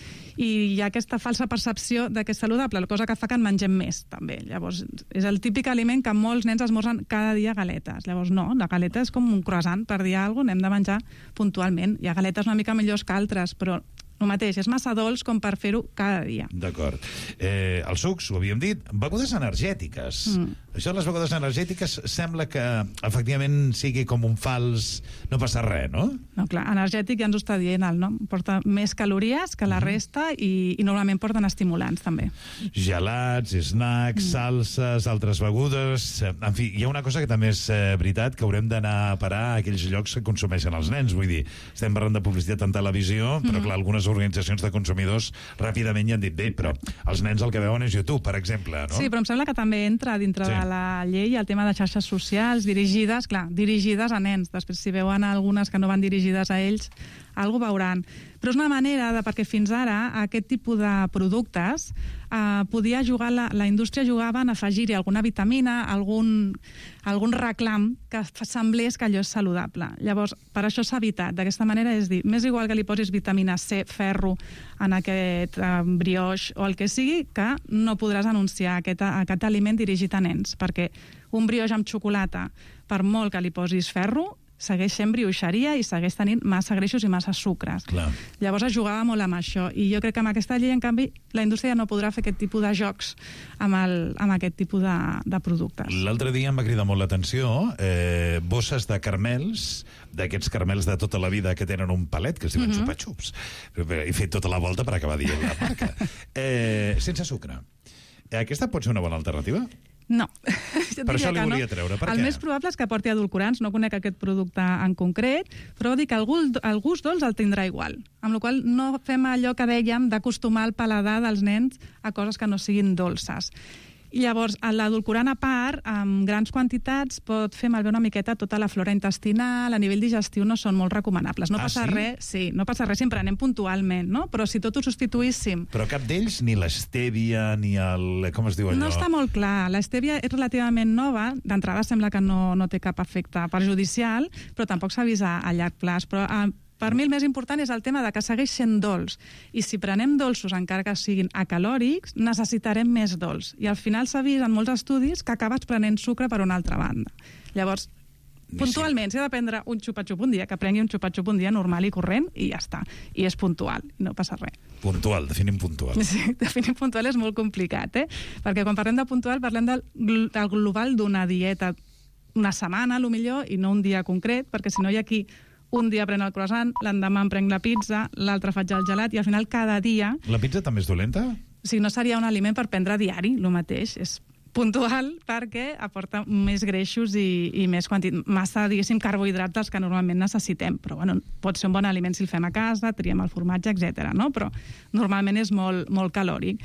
I hi ha aquesta falsa percepció de que és saludable, la cosa que fa que en mengem més, també. Llavors, és el típic aliment que molts nens esmorzen cada dia galetes. Llavors, no, la galeta és com un croissant, per dir alguna cosa, n'hem de menjar puntualment. Hi ha galetes una mica millors que altres, però el mateix, és massa dolç com per fer-ho cada dia. D'acord. Eh, els sucs, ho havíem dit, begudes energètiques. Mm. Això de les begudes energètiques sembla que efectivament sigui com un fals... No passa res, no? No, clar, energètic ja ens ho està dient el nom. Porta més calories que la mm. resta i, i normalment porten estimulants, també. Gelats, snacks, mm. salses, altres begudes... En fi, hi ha una cosa que també és eh, veritat, que haurem d'anar a parar a aquells llocs que consumeixen els nens. Vull dir, estem parlant de publicitat en televisió, però mm. clar, algunes organitzacions de consumidors ràpidament ja han dit, bé, però els nens el que veuen és YouTube, per exemple, no? Sí, però em sembla que també entra dintre sí. de la llei el tema de xarxes socials dirigides, clar, dirigides a nens. Després, si veuen algunes que no van dirigides a ells, alguna veuran. Però és una manera de, perquè fins ara aquest tipus de productes eh, podia jugar, la, la indústria jugava en afegir-hi alguna vitamina, algun, algun reclam que semblés que allò és saludable. Llavors, per això s'ha evitat. D'aquesta manera és dir, m'és igual que li posis vitamina C, ferro, en aquest eh, brioix o el que sigui, que no podràs anunciar aquest, aquest aliment dirigit a nens, perquè un brioix amb xocolata, per molt que li posis ferro, segueix sent brioixeria i segueix tenint massa greixos i massa sucres. Clar. Llavors es jugava molt amb això, i jo crec que amb aquesta llei, en canvi, la indústria no podrà fer aquest tipus de jocs amb, el, amb aquest tipus de, de productes. L'altre dia em va cridar molt l'atenció eh, bosses de caramels, d'aquests caramels de tota la vida que tenen un palet, que es diuen mm-hmm. xupa-xups. He fet tota la volta per acabar dient la marca. Eh, sense sucre. Aquesta pot ser una bona alternativa? No. Per això li volia no. treure. Per el què? més probable és que porti edulcorants, no conec aquest producte en concret, però dir que el gust, el gust dolç el tindrà igual. Amb la qual cosa no fem allò que dèiem d'acostumar el paladar dels nens a coses que no siguin dolces. Llavors, l'edulcorant a part, amb grans quantitats, pot fer malbé una miqueta tota la flora intestinal, a nivell digestiu no són molt recomanables. No ah, passa sí? res, sí, no passa res si en prenem puntualment, no? Però si tot ho substituíssim... Però cap d'ells, ni l'estèvia, ni el... com es diu allò? No està molt clar. L'estèvia és relativament nova, d'entrada sembla que no, no té cap efecte perjudicial, però tampoc s'ha vist a, a llarg plaç. Però a, per mi el més important és el tema de que segueix sent dolç. I si prenem dolços, encara que siguin acalòrics, necessitarem més dolç. I al final s'ha vist en molts estudis que acabes prenent sucre per una altra banda. Llavors, puntualment, si ha de prendre un xupa-xup un dia, que prengui un xupa-xup un dia normal i corrent, i ja està. I és puntual, no passa res. Puntual, definim puntual. Sí, definim puntual és molt complicat, eh? Perquè quan parlem de puntual parlem del, del global d'una dieta una setmana, a lo millor, i no un dia concret, perquè si no hi ha qui un dia pren el croissant, l'endemà em prenc la pizza, l'altre faig el gelat, i al final cada dia... La pizza també és dolenta? O sigui, no seria un aliment per prendre diari, el mateix. És puntual perquè aporta més greixos i, i més quantitat, massa, diguéssim, carbohidrats dels que normalment necessitem. Però, bueno, pot ser un bon aliment si el fem a casa, triem el formatge, etcètera, no? Però normalment és molt, molt calòric.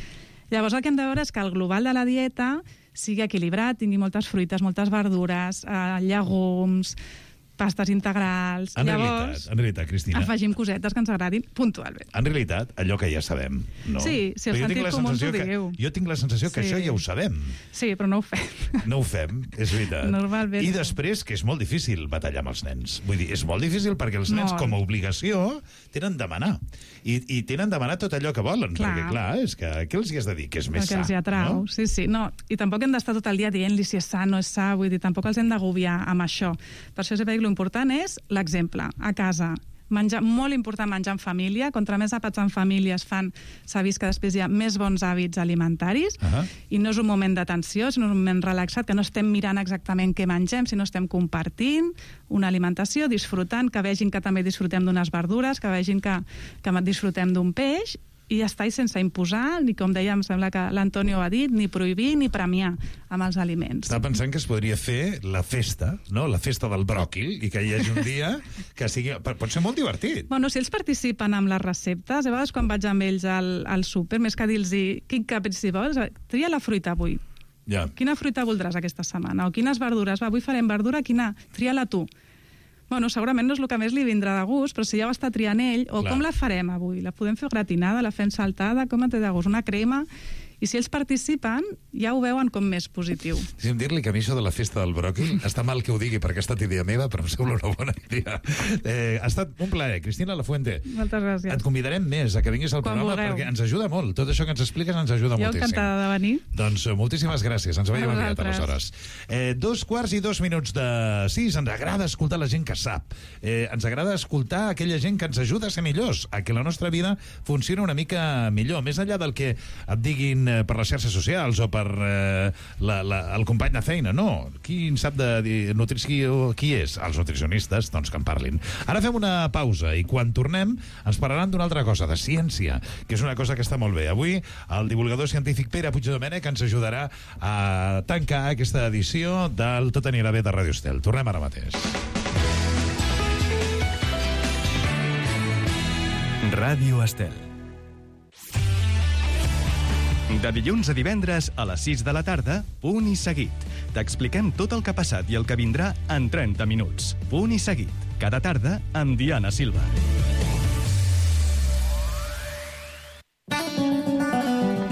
Llavors el que hem de veure és que el global de la dieta sigui equilibrat, tingui moltes fruites, moltes verdures, eh, llegums, pastes integrals... En Llavors, realitat, en realitat, Cristina... afegim cosetes que ens agradin puntualment. En realitat, allò que ja sabem, no? Sí, si el sentit comú ens ho digueu. Jo tinc la sensació que Sí. això ja ho sabem. Sí, però no ho fem. No ho fem, és veritat. Normalment I no. després, que és molt difícil batallar amb els nens. Vull dir, és molt difícil perquè els nens, Molt. com a obligació, tenen demanar. I, i tenen demanar tot allò que volen. Clar. Perquè, clar, és que què els hi has de dir? Que és més Perquè sa. els hi atrau, No? sí, sí. No, i tampoc hem d'estar tot el dia dient-li si és sa o no és sa, vull dir, tampoc els hem d'agobiar amb això. Per això sempre dic, l'important és l'exemple, a casa. Menjar, molt important menjar en família. Contra més àpats en família es fan, s'ha vist que després hi ha més bons hàbits alimentaris, Uh -huh. i no és un moment d'atenció, sinó un moment relaxat, que no estem mirant exactament què mengem, sinó estem compartint una alimentació, disfrutant, que vegin que també disfrutem d'unes verdures, que vegin que, que disfrutem d'un peix, i ja està, i sense imposar, ni com dèiem, sembla que l'Antonio ha dit, ni prohibir ni premiar amb els aliments. Estava pensant que es podria fer la festa, no? La festa del bròquil, i que hi hagi un dia que sigui... Pot ser molt divertit. Bueno, si ells participen amb les receptes, a vegades quan vaig amb ells al, al súper, més que dir-los quin caprici vols, tria la fruita avui. Ja. Quina fruita voldràs aquesta setmana? O quines verdures? Va, avui farem verdura, quina? Tria-la tu. Bueno, segurament no és el que més li vindrà de gust, però si ja ho està triant ell, o Clar. com la farem avui? La podem fer gratinada, la fem saltada, com et té de gust? Una crema? I si ells participen, ja ho veuen com més positiu. Deixa'm dir-li que a mi això de la festa del bròquil, està mal que ho digui perquè ha estat idea meva, però em sembla una bona idea. Eh, ha estat un plaer, Cristina Lafuente. Moltes gràcies. Et convidarem més a que vinguis al Quan programa vulgueu. perquè ens ajuda molt. Tot això que ens expliques ens ajuda Jo moltíssim. encantada de venir. Doncs eh, moltíssimes gràcies. Ens veiem A aviat, vosaltres. aleshores. Eh, dos quarts i dos minuts de sis. Ens agrada escoltar la gent que sap. Eh, ens agrada escoltar aquella gent que ens ajuda a ser millors, a que la nostra vida funcioni una mica millor. Més enllà del que et diguin eh, per les xarxes socials o per eh, la, la, el company de feina. No. Qui en sap de dir nutrició? Qui és? Els nutricionistes, doncs que en parlin. Ara fem una pausa i quan tornem ens parlaran d'una altra cosa, de ciència, que és una cosa que està molt bé. Avui el divulgador científic Pere Puigdomènech ens ajudarà a tancar aquesta edició del Tot anirà bé de Ràdio Estel. Tornem ara mateix. Ràdio Estel. De dilluns a divendres a les sis de la tarda, Punt i Seguit. T'expliquem tot el que ha passat i el que vindrà en trenta minuts. Punt i Seguit. Cada tarda amb Diana Silva.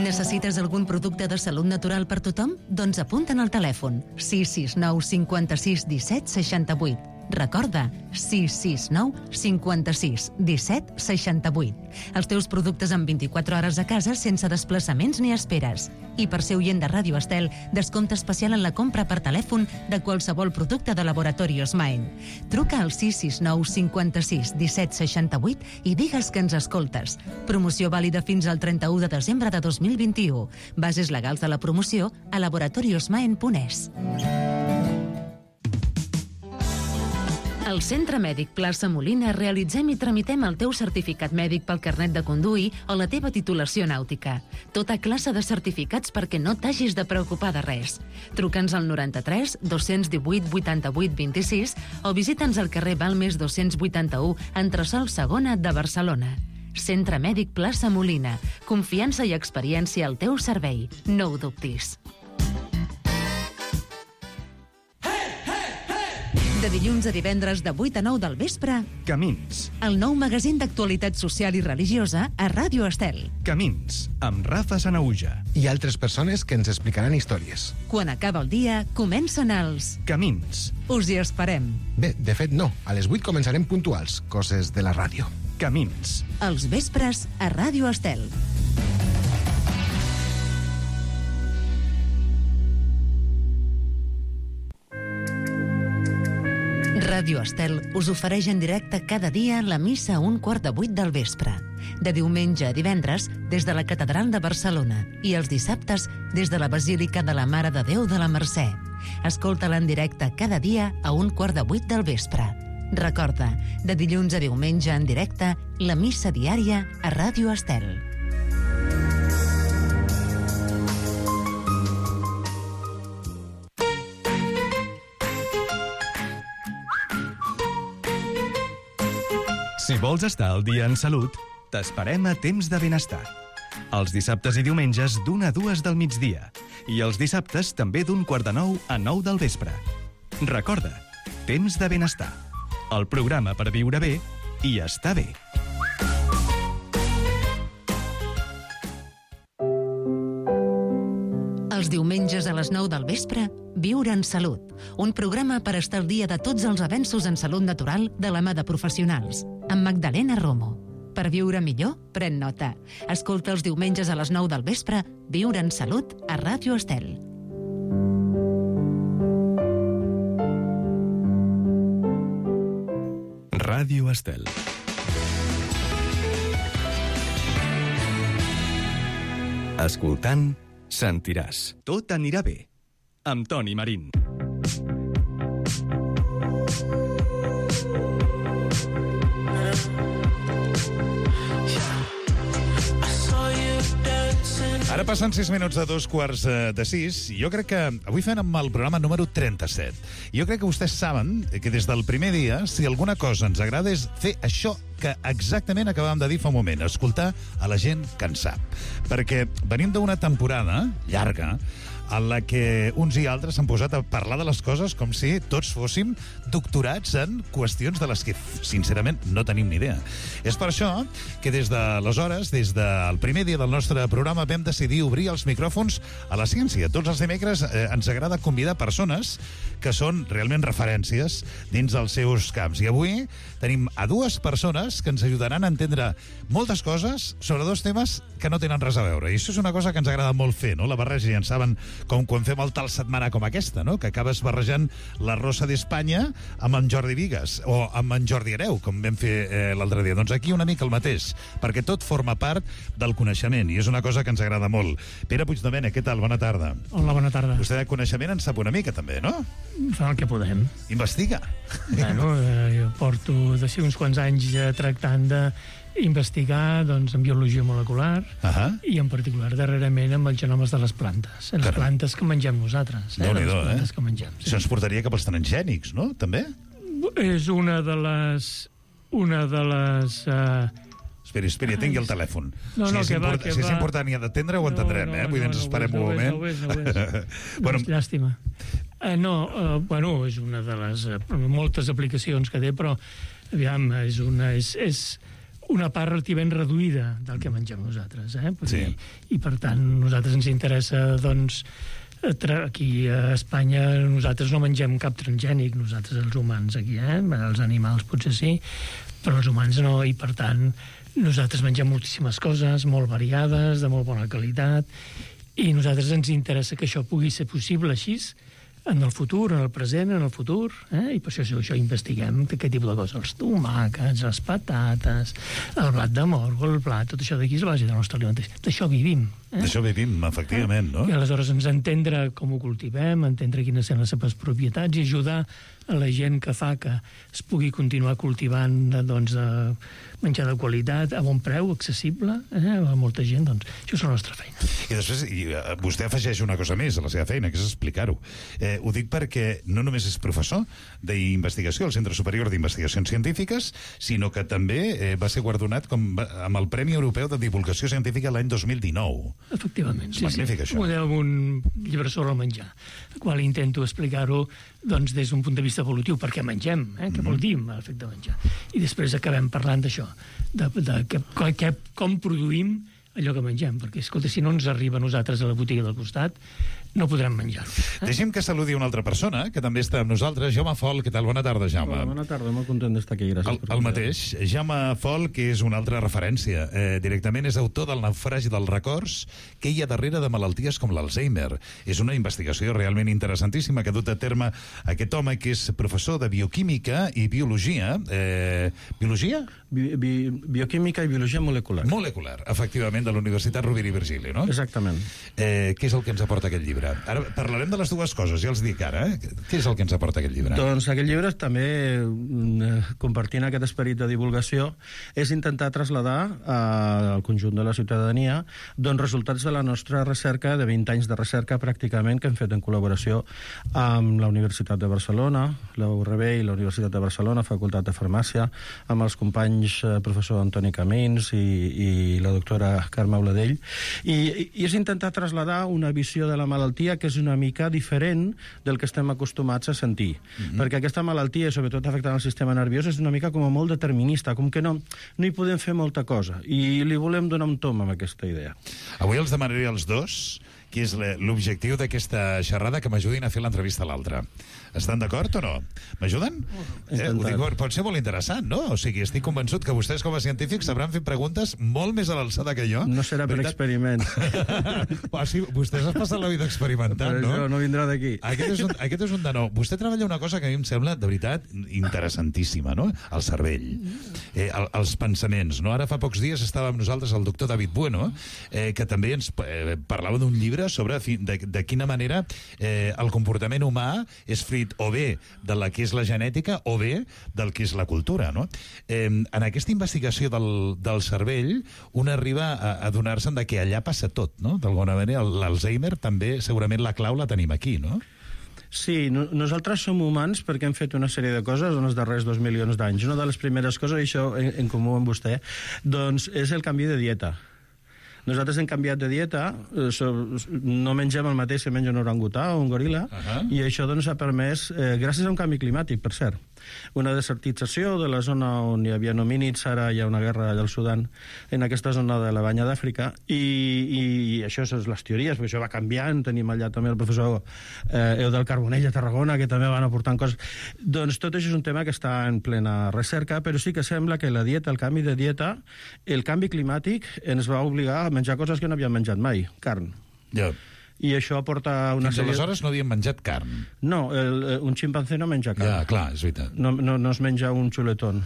Necessites algun producte de salut natural per tothom? Doncs apunta'n al telèfon sis sis nou cinquanta-sis disset seixanta-vuit. Recorda, sis sis nou cinquanta-sis disset seixanta-vuit. Els teus productes en vint-i-quatre hores a casa sense desplaçaments ni esperes. I per ser oient de Ràdio Estel, descompte especial en la compra per telèfon de qualsevol producte de Laboratorios Maen. Truca al sis sis nou cinquanta-sis disset seixanta-vuit i digues que ens escoltes. Promoció vàlida fins al trenta-u de desembre de dos mil vint-i-u. Bases legals de la promoció a laboratoriosmaen punt es. Al Centre Mèdic Plaça Molina realitzem i tramitem el teu certificat mèdic pel carnet de conduir o la teva titulació nàutica. Tota classe de certificats perquè no t'hagis de preocupar de res. Truca'ns al noranta-tres dos divuit vuitanta-vuit vint-i-sis o visita'ns al carrer Balmes dos-cents vuitanta-u, entresòl segona de Barcelona. Centre Mèdic Plaça Molina. Confiança i experiència al teu servei. No ho dubtis. De dilluns a divendres de vuit a nou del vespre, Camins. El nou magazín d'actualitat social i religiosa a Ràdio Estel. Camins, amb Rafa Sanauja. I altres persones que ens explicaran històries. Quan acaba el dia, comencen els... Camins. Us hi esperem. Bé, de fet no. A les vuit començarem puntuals, coses de la ràdio. Camins. Els vespres a Ràdio Estel. Ràdio Estel us ofereix en directe cada dia la missa a un quart de vuit del vespre. De diumenge a divendres, des de la Catedral de Barcelona, i els dissabtes, des de la Basílica de la Mare de Déu de la Mercè. Escolta-la en directe cada dia a un quart de vuit del vespre. Recorda, de dilluns a diumenge en directe, la missa diària a Ràdio Estel. Si vols estar al dia en salut, t'esperem a Temps de Benestar. Els dissabtes i diumenges d'una a dues del migdia. I els dissabtes també d'un quart de nou a nou del vespre. Recorda, Temps de Benestar. El programa per viure bé i estar bé. Els diumenges a les nou del vespre, Viure en Salut, un programa per estar al dia de tots els avenços en salut natural de la mà de professionals, amb Magdalena Romo. Per viure millor, pren nota. Escolta els diumenges a les nou del vespre, Viure en Salut a Ràdio Estel. Ràdio Estel. Escoltant, sentiràs. Tot anirà bé. Amb Toni Marín. Ara passen sis minuts de dos quarts de sis i jo crec que avui fem amb el programa número trenta-set. Jo crec que vostès saben que des del primer dia, si alguna cosa ens agrada és fer això que exactament acabàvem de dir fa un moment, escoltar a la gent que en sap. Perquè venim d'una temporada llarga en la que uns i altres s'han posat a parlar de les coses com si tots fóssim doctorats en qüestions de les que, sincerament, no tenim ni idea. És per això que des d'aleshores, des del primer dia del nostre programa, vam decidir obrir els micròfons a la ciència. Tots els dimecres eh, ens agrada convidar persones que són realment referències dins dels seus camps. I avui tenim a dues persones que ens ajudaran a entendre moltes coses sobre dos temes que no tenen res a veure. I això és una cosa que ens agrada molt fer, no? La barreja, ja en saben, com quan fem el tal setmana com aquesta, no? Que acabes barrejant la Rosa d'Espanya amb en Jordi Vigues o amb en Jordi Hereu, com vam fer eh, l'altre dia. Doncs aquí una mica el mateix, perquè tot forma part del coneixement i és una cosa que ens agrada molt. Pere Puigdomènech, què tal? Bona tarda. Hola, bona tarda. Vostè de coneixement en sap una mica també, no? Fa el que podem. Investiga. Bueno, eh, jo porto de ser uns quants anys eh, tractant de investigar doncs, en biologia molecular uh-huh. i en particular darrerament amb els genomes de les plantes, en les Caram. plantes que mengem nosaltres. Eh? Les plantes eh? que mengem. Sí. Això ens portaria cap als transgènics, no? També? És una de les... Una de les... Uh... Esperi, esperi, tingui el telèfon. No, no, si, és que va, import... que si és va. important i ha d'atendre, ho entendrem, no, no, eh? Vull dir, ens no, esperem no un moment. No ho és, no ho és. No ho és. bueno, llàstima. Uh, no, uh, bueno, és una de les uh, moltes aplicacions que té, però aviam, és una... És, és una part relativament reduïda del que mengem nosaltres, eh? Sí. I, I, per tant, nosaltres ens interessa, doncs, aquí a Espanya nosaltres no mengem cap transgènic, nosaltres els humans aquí, eh? Els animals potser sí, però els humans no, i per tant nosaltres mengem moltíssimes coses, molt variades, de molt bona qualitat, i a nosaltres ens interessa que això pugui ser possible així, en el futur, en el present, en el futur, eh? I per això, això investiguem aquest tipus de coses, els tomàquets, les patates, el blat de moro, el blat, tot això d'aquí és la base de la nostra alimentació. D'això vivim. Eh? D'això vivim, efectivament, no? I aleshores ens entendre com ho cultivem, entendre quines són les seves propietats i ajudar a la gent que fa que es pugui continuar cultivant doncs, menjar de qualitat, a bon preu, accessible, eh? A molta gent, doncs, això és la nostra feina. I després, i, uh, vostè afegeix una cosa més a la seva feina, que és explicar-ho. Eh, Eh, ho dic perquè no només és professor d'investigació al Centre Superior d'Investigacions Científiques, sinó que també eh, va ser guardonat com, amb el Premi Europeu de Divulgació Científica l'any dos mil dinou. Efectivament, sí, magnífic, sí. Això. Ho deu un llibre sobre el menjar, el qual intento explicar-ho doncs, des d'un punt de vista evolutiu, perquè mengem, eh? Què vol dir l'efecte menjar. I després acabem parlant d'això, de, de que, que, com produïm allò que mengem, perquè, escolta, si no ens arriba a nosaltres a la botiga del costat, no podrem menjar-ho. Eh? Deixem que saludi una altra persona, que també està amb nosaltres, Jaume Fol. Què tal? Bona tarda, Jaume. Hola, bona tarda, molt content d'estar aquí, gràcies. El, el mateix. Jaume Fol, que és una altra referència. Eh, directament és autor del Naufragi dels records, que hi ha darrere de malalties com l'Alzheimer. És una investigació realment interessantíssima que ha dut a terme aquest home que és professor de bioquímica i biologia. Eh, biologia? Bi, bi, bioquímica i biologia molecular. Molecular, efectivament, de la Universitat Rovira i Virgili, no? Exactament. Eh, què és el que ens aporta aquest llibre? Ara parlarem de les dues coses, ja els dic ara. Eh? Què és el que ens aporta aquest llibre? Doncs aquest llibre també, compartint aquest esperit de divulgació, és intentar traslladar al conjunt de la ciutadania doncs, resultats de la nostra recerca, de vint anys de recerca pràcticament, que hem fet en col·laboració amb la Universitat de Barcelona, la U R B i la Universitat de Barcelona, Facultat de Farmàcia, amb els companys eh, professor Antoni Camins i, i la doctora Carme Auladell, i, i és intentar traslladar una visió de la malaltia que és una mica diferent del que estem acostumats a sentir. Mm-hmm. Perquè aquesta malaltia, sobretot afectant el sistema nerviós, és una mica com a molt determinista, com que no, no hi podem fer molta cosa. I li volem donar un tom amb aquesta idea. Avui els demanaré als dos que és l'objectiu d'aquesta xerrada, que m'ajudin a fer l'entrevista a l'altre. Estan d'acord o no? M'ajuden? Eh, ho dic, pot ser molt interessant, no? O sigui, estic convençut que vostès com a científics sabran fer preguntes molt més a l'alçada que jo. No serà per experiments. Ah, sí, vostès has passat la vida experimentant, però no? Però això no vindrà d'aquí. Aquest és, un, aquest és un de nou. Vostè treballa una cosa que a mi em sembla, de veritat, interessantíssima, no? El cervell. Eh, el, els pensaments, no? Ara fa pocs dies estava amb nosaltres el doctor David Bueno, eh, que també ens eh, parlava d'un llibre sobre de, de quina manera eh, el comportament humà és fruit o bé de la que és la genètica o bé del que és la cultura, no? Eh, en aquesta investigació del, del cervell, un arriba a, a donar-se'n de que allà passa tot, no? D'alguna manera, l'Alzheimer també, segurament la clau la tenim aquí, no? Sí, no, nosaltres som humans perquè hem fet una sèrie de coses en els darrers dos milions d'anys. Una de les primeres coses, i això en, en comú amb vostè, doncs és el canvi de dieta. Nosaltres hem canviat de dieta, no mengem el mateix que menja un orangutà o un goril·la, uh -huh. i això doncs, ha permès, eh, gràcies a un canvi climàtic, per cert, una desertització de la zona on hi havia homínids, ara hi ha una guerra allà al Sudan, en aquesta zona de la banya d'Àfrica, i, i això són les teories, perquè això va canviant, tenim allà també el professor eh, Eudald Carbonell a Tarragona, que també van aportant coses. Doncs tot això és un tema que està en plena recerca, però sí que sembla que la dieta, el canvi de dieta, el canvi climàtic ens va obligar a menjar coses que no havíem menjat mai, carn. Ja. I això porta una Fins sèrie... aleshores no havíem menjat carn. No, el, un ximpancé no menja carn. Ja, clar, és veritat. No, no, no es menja un xuletón.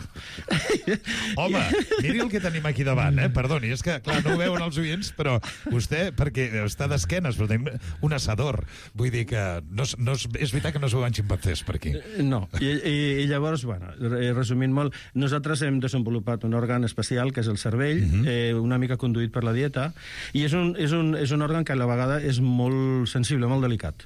Home, miri el que tenim aquí davant, eh? Perdoni, és que, clar, no ho veuen els oients, però vostè, perquè està d'esquenes, però tenim un assador. Vull dir que no, no, és veritat que no es veuen ximpancés per aquí. No, i, i, i llavors, bueno, resumint molt, nosaltres hem desenvolupat un òrgan especial, que és el cervell, uh-huh. eh, una mica conduït per la dieta, i és un, és un, és un òrgan que a la vegada és molt molt sensible, molt delicat.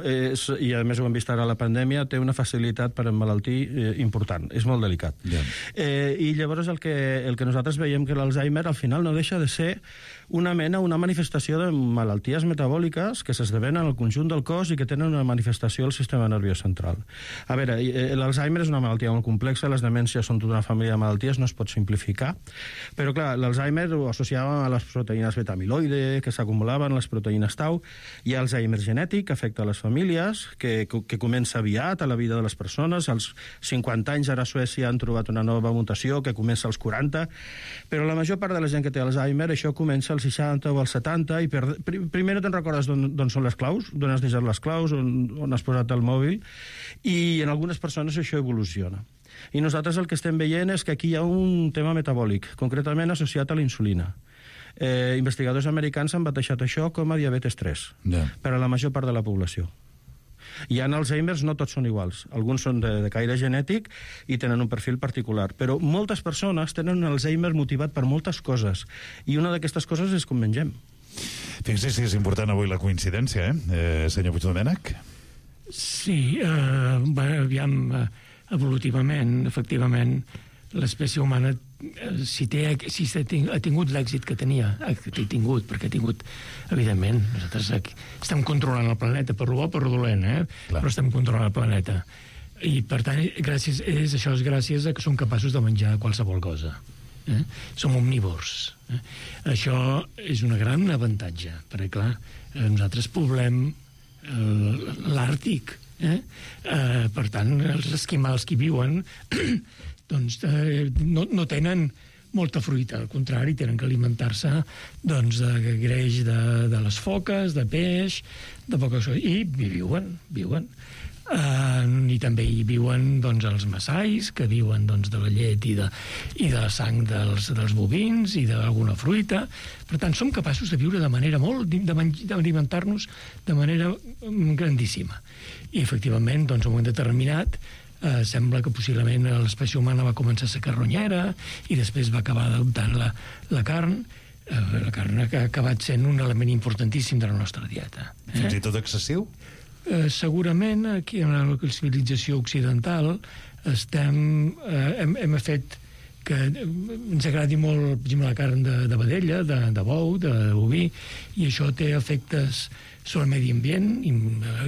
És, i a més ho hem vist ara a la pandèmia, té una facilitat per emmalaltir eh, important, és molt delicat. Yeah. Eh, I llavors el que, el que nosaltres veiem que l'Alzheimer al final no deixa de ser una mena, una manifestació de malalties metabòliques que s'esdevenen al conjunt del cos i que tenen una manifestació al sistema nerviós central. A veure, l'Alzheimer és una malaltia molt complexa, les demències són tota una família de malalties, no es pot simplificar, però clar, l'Alzheimer ho associàvem a les proteïnes beta-amiloide que s'acumulaven, les proteïnes tau, i Alzheimer genètic, que afecta a les famílies, que, que comença aviat a la vida de les persones, als cinquanta anys ara a Suècia han trobat una nova mutació que comença als quaranta, però la major part de la gent que té Alzheimer això comença als seixanta o als setanta, i per, primer no te'n recordes d'on són les claus, d'on has deixat les claus, on, on has posat el mòbil, i en algunes persones això evoluciona. I nosaltres el que estem veient és que aquí hi ha un tema metabòlic, concretament associat a la insulina. Eh, investigadors americans han batejat això com a diabetes tres, yeah. per a la major part de la població. Hi ha Alzheimers, no tots són iguals. Alguns són de, de caire genètic i tenen un perfil particular. Però moltes persones tenen un Alzheimer motivat per moltes coses. I una d'aquestes coses és com mengem. Fixi si és important avui la coincidència, eh, eh senyor Puigdomènech? Sí, eh, bueno, aviam, eh, evolutivament, efectivament, l'espècie humana, eh, si, té, si ha tingut l'èxit que tenia, ha tingut, perquè ha tingut, evidentment, nosaltres aquí estem controlant el planeta, per bo o per dolent, eh? Clar. Però estem controlant el planeta. I, per tant, gràcies, és, això és gràcies a que som capaços de menjar qualsevol cosa. Eh? Som omnívors. Eh? Això és un gran avantatge, perquè, clar, eh, nosaltres poblem eh, l'Àrtic. Eh? Eh, per tant, els esquimals que hi viuen doncs, eh, no, no tenen molta fruita, al contrari, tenen que alimentar-se doncs, de greix de, de les foques, de peix, de poca cosa, i viuen, viuen. Uh, i també hi viuen doncs, els massais, que viuen doncs, de la llet i de, i de la sang dels, dels bovins i d'alguna fruita. Per tant, som capaços de viure de manera molt, d'alimentar-nos de manera grandíssima. I, efectivament, doncs, a un moment determinat, uh, sembla que possiblement l'espècie humana va començar a ser carronyera i després va acabar adoptant la, la carn, uh, la carn que ha acabat sent un element importantíssim de la nostra dieta. Eh? Fins i tot excessiu? Eh, segurament aquí en la civilització occidental estem, eh, hem, hem fet que ens agradi molt, per exemple, la carn de, de vedella, de, de bou, de, de boví, i això té efectes sobre el medi ambient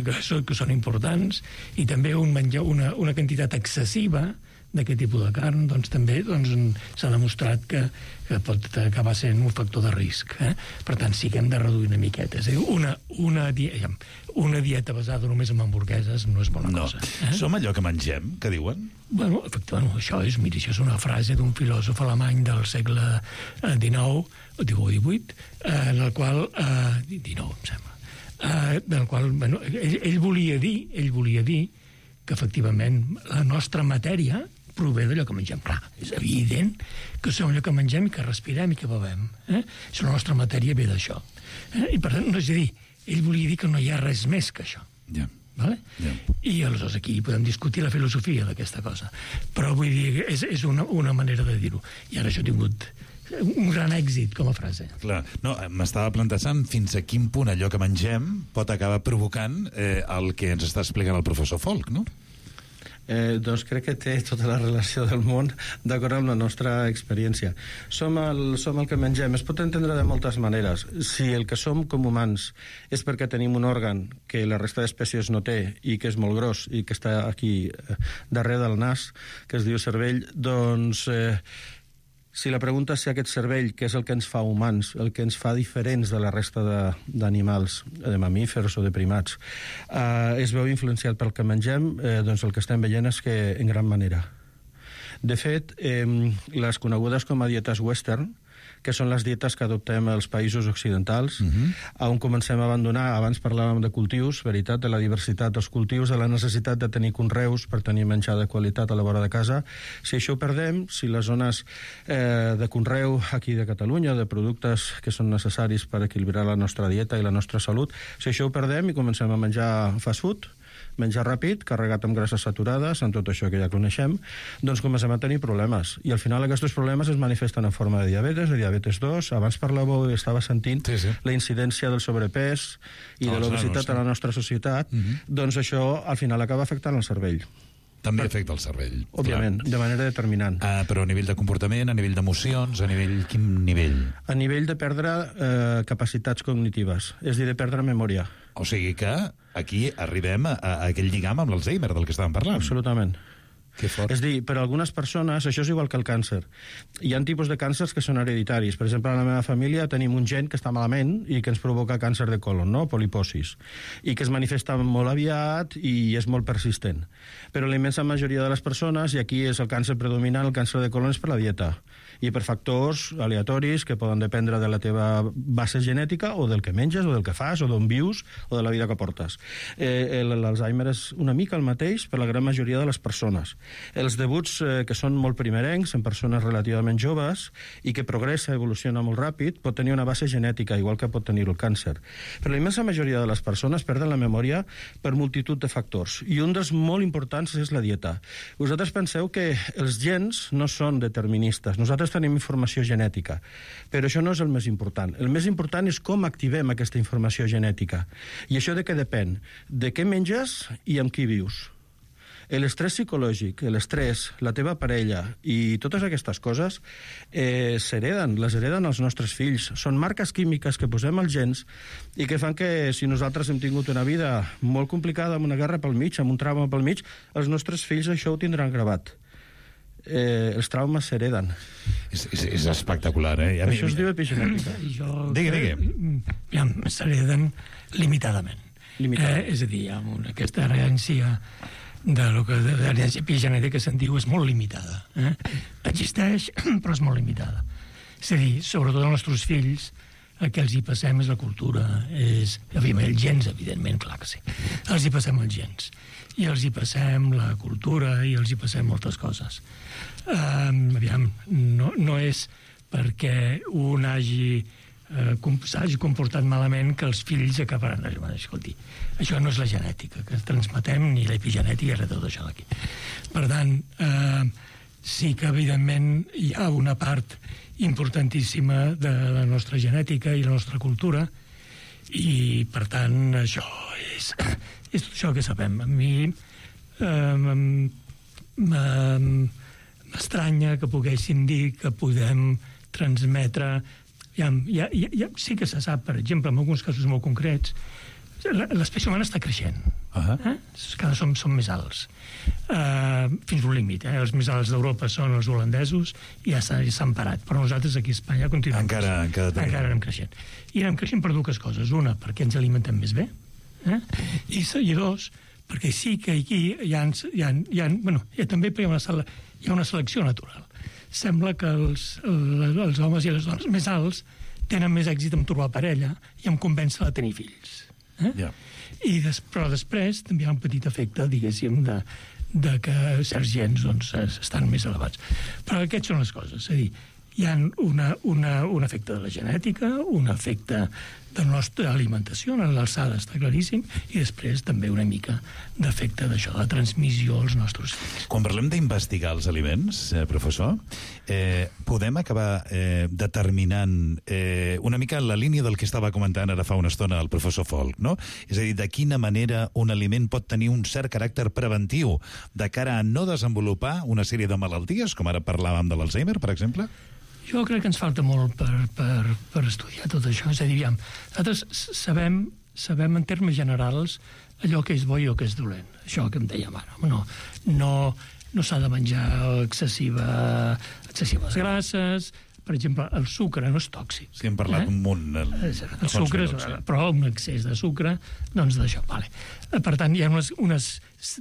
que són importants, i també un menjar, una, una quantitat excessiva d'aquest tipus de carn, doncs també doncs, s'ha demostrat que, que pot acabar sent un factor de risc. Eh? Per tant, sí que hem de reduir una miqueta. És a dir, una, una, dieta, una dieta basada només en hamburgueses no és bona no. cosa. Eh? Som allò que mengem, que diuen? Bueno, efectivament, això és, mira, això és una frase d'un filòsof alemany del segle dinou, o divuit, eh, en el qual... Eh, dinou, em sembla. Eh, del qual, bueno, ell, ell volia dir, ell volia dir que, efectivament, la nostra matèria prové d'allò que mengem. Clar, és evident que som allò que mengem i que respirem i que bevem. Eh? Si la nostra matèria ve d'això. Eh? I per tant, no és a dir, ell volia dir que no hi ha res més que això. Ja. Vale? Ja. I aleshores aquí podem discutir la filosofia d'aquesta cosa. Però vull dir, és, és una, una manera de dir-ho. I ara això ha tingut un gran èxit com a frase. Clar, no, m'estava plantejant fins a quin punt allò que mengem pot acabar provocant eh, el que ens està explicant el professor Folch, no? Eh, doncs crec que té tota la relació del món d'acord amb la nostra experiència. Som el, som el que mengem. Es pot entendre de moltes maneres. Si el que som com humans és perquè tenim un òrgan que la resta d'espècies no té i que és molt gros i que està aquí eh, darrere del nas, que es diu cervell, doncs... Eh, si la pregunta és si aquest cervell, que és el que ens fa humans, el que ens fa diferents de la resta d'animals, de, de mamífers o de primats, eh, es veu influenciat pel que mengem, eh, doncs el que estem veient és que en gran manera. De fet, eh, les conegudes com a dietes western, que són les dietes que adoptem als països occidentals, uh-huh. on comencem a abandonar, abans parlàvem de cultius, veritat, de la diversitat dels cultius, de la necessitat de tenir conreus per tenir menjar de qualitat a la vora de casa. Si això ho perdem, si les zones eh, de conreu aquí de Catalunya, de productes que són necessaris per equilibrar la nostra dieta i la nostra salut, si això ho perdem i comencem a menjar fast food, menjar ràpid, carregat amb grasses saturades, amb tot això que ja coneixem, doncs comencem a tenir problemes. I al final aquests problemes es manifesten en forma de diabetes, de diabetes dos. Abans parlàveu i estava sentint sí, sí. la incidència del sobrepès i de l'obesitat a la nostra societat. Uh-huh. Doncs això al final acaba afectant el cervell. També afecta el cervell. Òbviament, clar. De manera determinant. Uh, però a nivell de comportament, a nivell d'emocions, a nivell... Quin nivell? A nivell de perdre eh, capacitats cognitives, és a dir, de perdre memòria. O sigui que aquí arribem a, a aquell lligam amb l'Alzheimer del que estàvem parlant. Absolutament. Que fort. És dir, per a algunes persones això és igual que el càncer. Hi ha tipus de càncers que són hereditaris. Per exemple, en la meva família tenim un gen que està malament i que ens provoca càncer de colon, no? Poliposis, i que es manifesta molt aviat i és molt persistent. Però la immensa majoria de les persones, i aquí és el càncer predominant, el càncer de colon és per la dieta i per factors aleatoris que poden dependre de la teva base genètica o del que menges o del que fas o d'on vius o de la vida que portes. Eh, L'Alzheimer és una mica el mateix per la gran majoria de les persones. Els debuts, eh, que són molt primerencs, en persones relativament joves, i que progressa, evoluciona molt ràpid, pot tenir una base genètica, igual que pot tenir el càncer. Però la immensa majoria de les persones perden la memòria per multitud de factors, i un dels molt importants és la dieta. Vosaltres penseu que els gens no són deterministes. Nosaltres tenim informació genètica, però això no és el més important. El més important és com activem aquesta informació genètica. I això de què depèn? De què menges i amb qui vius. L'estrès psicològic, l'estrès, la teva parella i totes aquestes coses eh, s'hereden, les hereden els nostres fills. Són marques químiques que posem als gens i que fan que si nosaltres hem tingut una vida molt complicada, amb una guerra pel mig, amb un trauma pel mig, els nostres fills això ho tindran gravat. Eh, els traumes s'hereden. És, és, és espectacular, eh? A això mi, es diu epigenètica. Jo, digui, digui. Ja, s'hereden limitadament. limitadament. Eh, és a dir, amb aquesta herència de lo que de l'herència epigenètica se'n diu és molt limitada. Eh? Existeix, però és molt limitada. És a dir, sobretot els nostres fills, el que els hi passem és la cultura, és, evidentment, els gens, evidentment, clar que sí. Els hi passem els gens. I els hi passem la cultura i els hi passem moltes coses. Um, aviam, no, no és perquè un hagi eh, s'hagi comportat malament que els fills acabaran. Escolti, això no és la genètica que transmetem, ni l'epigenètica, res de tot això d'aquí. Per tant, eh, sí que evidentment hi ha una part importantíssima de la nostra genètica i la nostra cultura, i per tant això és, és tot això que sabem. A mi eh, m'estranya que poguéssim dir que podem transmetre. Ja, ja, ja, sí que se sap, per exemple, en alguns casos molt concrets, l'espècie humana està creixent. Uh-huh. eh? Cada som, som més alts. Uh, fins un límit. Eh? Els més alts d'Europa són els holandesos i ja s'han parat. Però nosaltres aquí a Espanya continuem encara, encara, encara anem creixent. I anem creixent per dues coses. Una, perquè ens alimentem més bé. Eh? I, I dos, perquè sí que aquí hi ha, hi ha, hi ha, bueno, hi ha també hi ha, una sele, hi ha una selecció natural. Sembla que els, els homes i les dones més alts tenen més èxit en trobar parella i en convèncer a tenir fills. Eh? Yeah. I des, però després també hi ha un petit efecte, diguéssim, de, de que certs gens doncs, estan més elevats. Però aquestes són les coses. És a dir, hi ha una, una, un efecte de la genètica, un efecte de la nostra alimentació, en l'alçada està claríssim, i després també una mica d'efecte d'això, de transmissió als nostres fills. Quan parlem d'investigar els aliments, eh, professor, eh, podem acabar eh, determinant eh, una mica la línia del que estava comentant ara fa una estona el professor Folch, no? És a dir, de quina manera un aliment pot tenir un cert caràcter preventiu de cara a no desenvolupar una sèrie de malalties, com ara parlàvem de l'Alzheimer, per exemple? Jo crec que ens falta molt per, per, per estudiar tot això. És a dir, aviam, nosaltres sabem, sabem en termes generals allò que és bo i el que és dolent. Això que em dèiem ara. No, no, no s'ha de menjar excessiva, excessives grasses. Per exemple, el sucre no és tòxic. Sí, hem parlat eh? un munt. El, el sucre, minuts, sí. Però un excés de sucre, doncs d'això. Vale. Per tant, hi ha unes... unes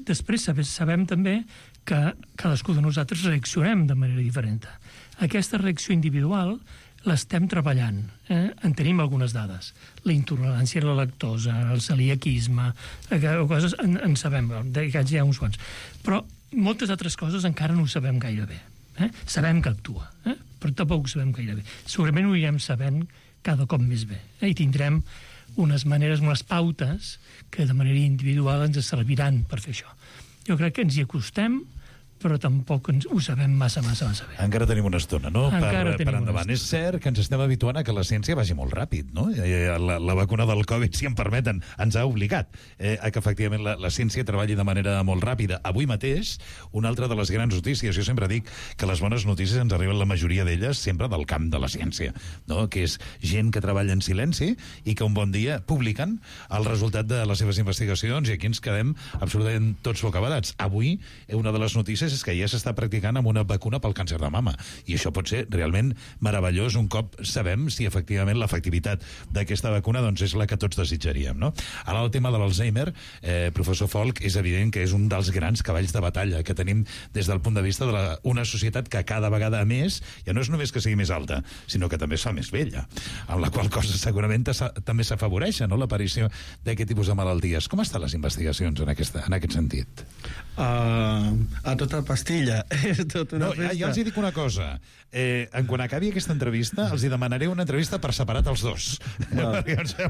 després sabem també que cadascú de nosaltres reaccionem de manera diferent. Aquesta reacció individual l'estem treballant. Eh? En tenim algunes dades. La intolerància a la lactosa, el celiaquisme, coses en, en sabem, d'aquests hi ha uns quants. Però moltes altres coses encara no ho sabem gaire bé. Eh? Sabem que actua, eh? però tampoc ho sabem gaire bé. Segurament ho anirem sabent cada cop més bé. Eh? I tindrem unes maneres, unes pautes que de manera individual ens serviran per fer això. Jo crec que ens hi acostem, però tampoc ens ho sabem massa, massa, massa bé. Encara tenim una estona, no? Encara per, tenim per endavant. És cert que ens estem habituant a que la ciència vagi molt ràpid, no? La, la vacuna del Covid, si em permeten, ens ha obligat eh, a que efectivament la, la ciència treballi de manera molt ràpida. Avui mateix, una altra de les grans notícies, jo sempre dic que les bones notícies ens arriben la majoria d'elles sempre del camp de la ciència, no? Que és gent que treballa en silenci i que un bon dia publiquen el resultat de les seves investigacions i aquí ens quedem absolutament tots bocabadats. Avui, una de les notícies és que ja s'està practicant amb una vacuna pel càncer de mama. I això pot ser realment meravellós un cop sabem si efectivament l'efectivitat d'aquesta vacuna doncs, és la que tots desitjaríem. No? Ara el tema de l'Alzheimer, eh, professor Folch, és evident que és un dels grans cavalls de batalla que tenim des del punt de vista de la, una societat que cada vegada més, ja no és només que sigui més alta, sinó que també es fa més vella, amb la qual cosa segurament també s'afavoreix, no?, l'aparició d'aquest tipus de malalties. Com estan les investigacions en, aquesta, en aquest sentit? Uh, a tot aquesta pastilla. És tot una no, festa. Ja, ja els hi dic una cosa. Eh, en quan acabi aquesta entrevista, els hi demanaré una entrevista per separat els dos. No,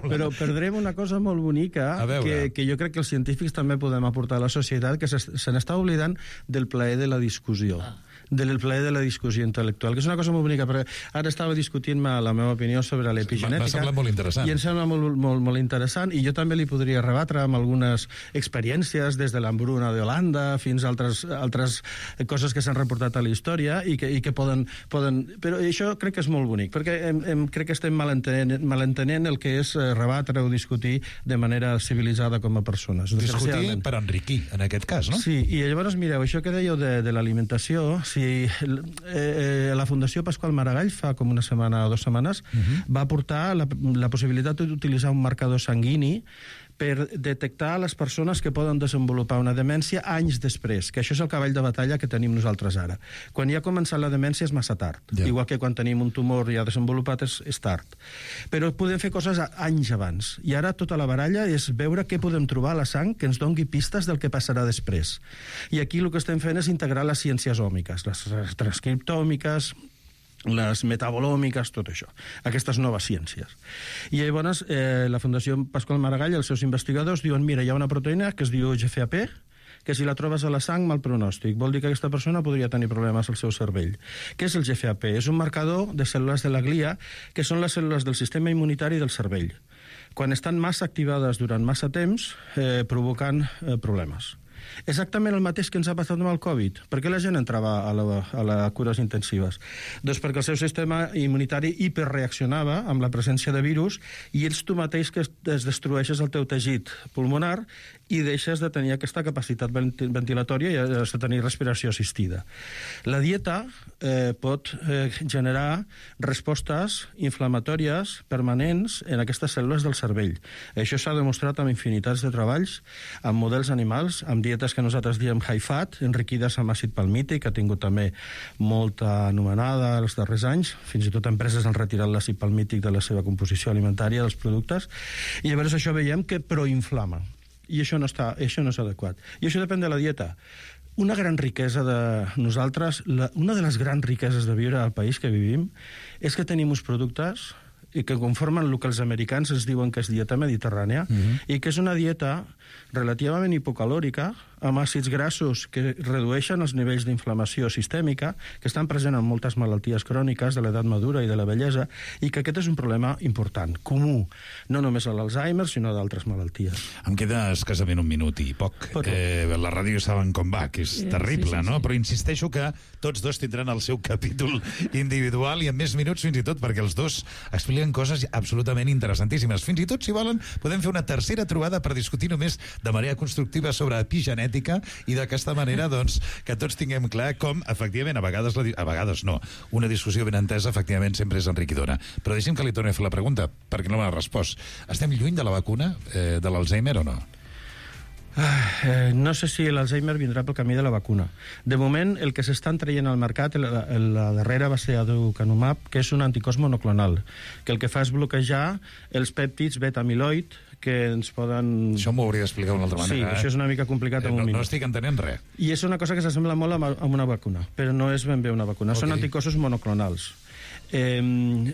però perdrem una cosa molt bonica que, que jo crec que els científics també podem aportar a la societat, que se, se n'està oblidant del plaer de la discussió. Ah. del plaer de la discussió intel·lectual, que és una cosa molt bonica, perquè ara estava discutint la meva opinió sobre l'epigenètica. M'ha semblat molt interessant. I em sembla molt, molt, molt interessant, i jo també li podria rebatre amb algunes experiències, des de l'hambruna d'Holanda fins a altres, altres coses que s'han reportat a la història i que, i que poden, poden... Però això crec que és molt bonic, perquè em, em, crec que estem malentenent, malentenent el que és rebatre o discutir de manera civilitzada com a persones. Discutir per enriquir, en aquest cas, no? Sí, i llavors, mireu, això que dèieu de, de l'alimentació, si eh, la Fundació Pasqual Maragall fa com una setmana o dues setmanes uh-huh. va aportar la, la possibilitat d'utilitzar un marcador sanguini per detectar les persones que poden desenvolupar una demència anys després, que això és el cavall de batalla que tenim nosaltres ara. Quan ja ha començat la demència és massa tard, yeah. igual que quan tenim un tumor ja desenvolupat és, és tard. Però podem fer coses anys abans, i ara tota la baralla és veure què podem trobar a la sang que ens doni pistes del que passarà després. I aquí el que estem fent és integrar les ciències òmiques, les transcriptòmiques, les metabolòmiques, tot això, aquestes noves ciències. I llavors eh, la Fundació Pasqual Maragall i els seus investigadors diuen, mira, hi ha una proteïna que es diu G F A P, que si la trobes a la sang, mal pronòstic. Vol dir que aquesta persona podria tenir problemes al seu cervell. Què és el G F A P? És un marcador de cèl·lules de la glia, que són les cèl·lules del sistema immunitari del cervell. Quan estan massa activades durant massa temps, eh, provocant eh, problemes. Exactament el mateix que ens ha passat amb el Covid. Per què la gent entrava a, la, a les cures intensives? Doncs perquè el seu sistema immunitari hiperreaccionava amb la presència de virus i ets tu mateix que es, es destrueixes el teu teixit pulmonar i deixes de tenir aquesta capacitat ventilatòria i has de tenir respiració assistida. La dieta eh, pot eh, generar respostes inflamatòries permanents en aquestes cèl·lules del cervell. Això s'ha demostrat amb infinitats de treballs, amb models animals, amb dietes que nosaltres diem high fat, enriquides amb àcid palmític, que ha tingut també molta anomenada els darrers anys. Fins i tot empreses han retirat l'àcid palmític de la seva composició alimentària dels productes. I llavors això veiem que proinflama. I això no, està, això no és adequat. I això depèn de la dieta. Una gran riquesa de nosaltres, la, una de les grans riqueses de viure al país que vivim, és que tenim uns productes i que conformen el que els americans ens diuen que és dieta mediterrània, uh-huh. i que és una dieta relativament hipocalòrica, amb àcids grassos que redueixen els nivells d'inflamació sistèmica, que estan presents en moltes malalties cròniques de l'edat madura i de la vellesa, i que aquest és un problema important, comú, no només a l'Alzheimer, sinó d'altres malalties. Em queda escassament un minut i poc. Eh, la ràdio saben com va, que és terrible, sí, sí, sí. no? Però insisteixo que tots dos tindran el seu capítol individual i en més minuts fins i tot, perquè els dos expliquen coses absolutament interessantíssimes. Fins i tot, si volen, podem fer una tercera trobada per discutir només de manera constructiva sobre epigenètica i d'aquesta manera, doncs, que tots tinguem clar com, efectivament, a vegades, la, a vegades no, una discussió ben entesa, efectivament, sempre és enriquidora. Però deixi'm que li torni a fer la pregunta, perquè no m'ha respost. Estem lluny de la vacuna eh, de l'Alzheimer o no? Eh, no sé si l'Alzheimer vindrà pel camí de la vacuna. De moment, el que s'estan traient al mercat, la, la darrera va ser aducanumab, que és un anticòs monoclonal, que el que fa és bloquejar els pèptids beta-amiloid, que ens poden... Això m'ho hauria d'explicar d'una altra manera. Sí, eh? Això és una mica complicat eh, en un no, minut. No estic entenent res. I és una cosa que s'assembla molt a, a una vacuna, però no és ben bé una vacuna. Okay. Són anticossos monoclonals. Eh,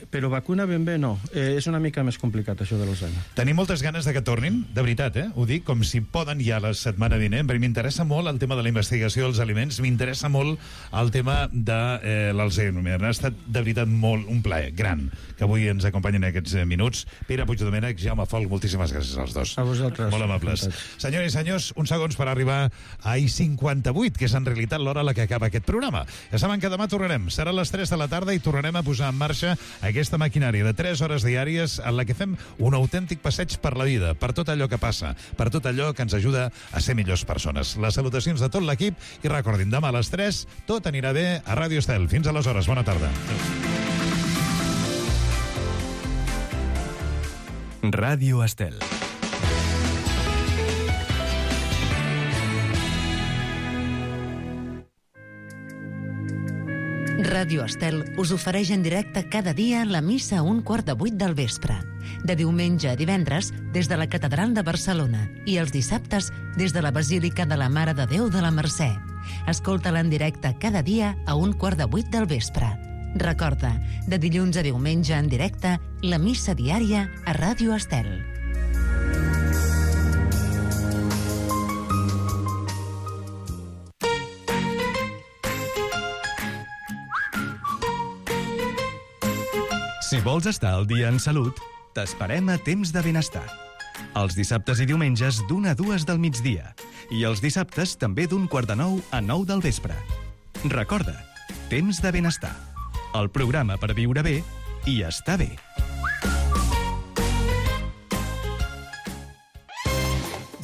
però vacuna ben bé no. Eh, és una mica més complicat això de l'Alzheimer. Tenim moltes ganes de que tornin, de veritat, eh? Ho dic com si poden ja la setmana vinent, perquè m'interessa molt el tema de la investigació dels aliments, m'interessa molt el tema de eh, l'Alzheimer. Ha estat de veritat molt un plaer gran que avui ens acompanyen en aquests eh, minuts. Pere Puigdomènech, Jaume Folch, moltíssimes gràcies als dos. A vosaltres. Molt amables. Senyores i senyors, uns segons per arribar a I cinquanta-vuit, que és en realitat l'hora a la que acaba aquest programa. Ja saben que demà tornarem. Serà a les tres de la tarda i tornarem a posar en marxa aquesta maquinària de tres hores diàries en la que fem un autèntic passeig per la vida, per tot allò que passa, per tot allò que ens ajuda a ser millors persones. Les salutacions de tot l'equip i recordin, demà a les tres tot anirà bé a Ràdio Estel. Fins aleshores, bona tarda. Ràdio Estel. Ràdio Estel us ofereix en directe cada dia la missa a un quart de vuit del vespre. De diumenge a divendres, des de la Catedral de Barcelona, i els dissabtes, des de la Basílica de la Mare de Déu de la Mercè. Escolta-la en directe cada dia a un quart de vuit del vespre. Recorda, de dilluns a diumenge en directe, la missa diària a Ràdio Estel. Si vols estar al dia en salut, t'esperem a Temps de Benestar. Els dissabtes i diumenges d'una a dues del migdia. I els dissabtes també d'un quart de nou a nou del vespre. Recorda, Temps de Benestar. El programa per viure bé i estar bé.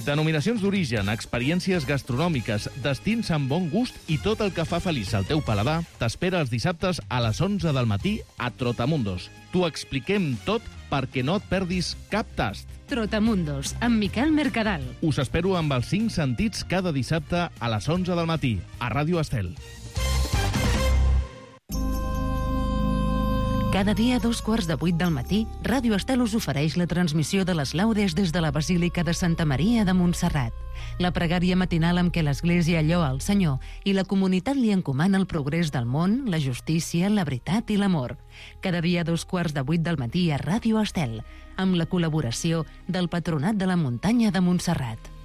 Denominacions d'origen, experiències gastronòmiques, destins amb bon gust i tot el que fa feliç al teu paladar t'espera els dissabtes a les onze del matí a Trotamundos. T'ho expliquem tot perquè no et perdis cap tast. Trotamundos, amb Miquel Mercadal. Us espero amb els cinc sentits cada dissabte a les onze del matí a Ràdio Estel. Cada dia a dos quarts de vuit del matí, Ràdio Estel us ofereix la transmissió de les laudes des de la Basílica de Santa Maria de Montserrat. La pregària matinal amb què l'Església lloa el Senyor i la comunitat li encomana el progrés del món, la justícia, la veritat i l'amor. Cada dia a dos quarts de vuit del matí a Ràdio Estel, amb la col·laboració del Patronat de la Muntanya de Montserrat.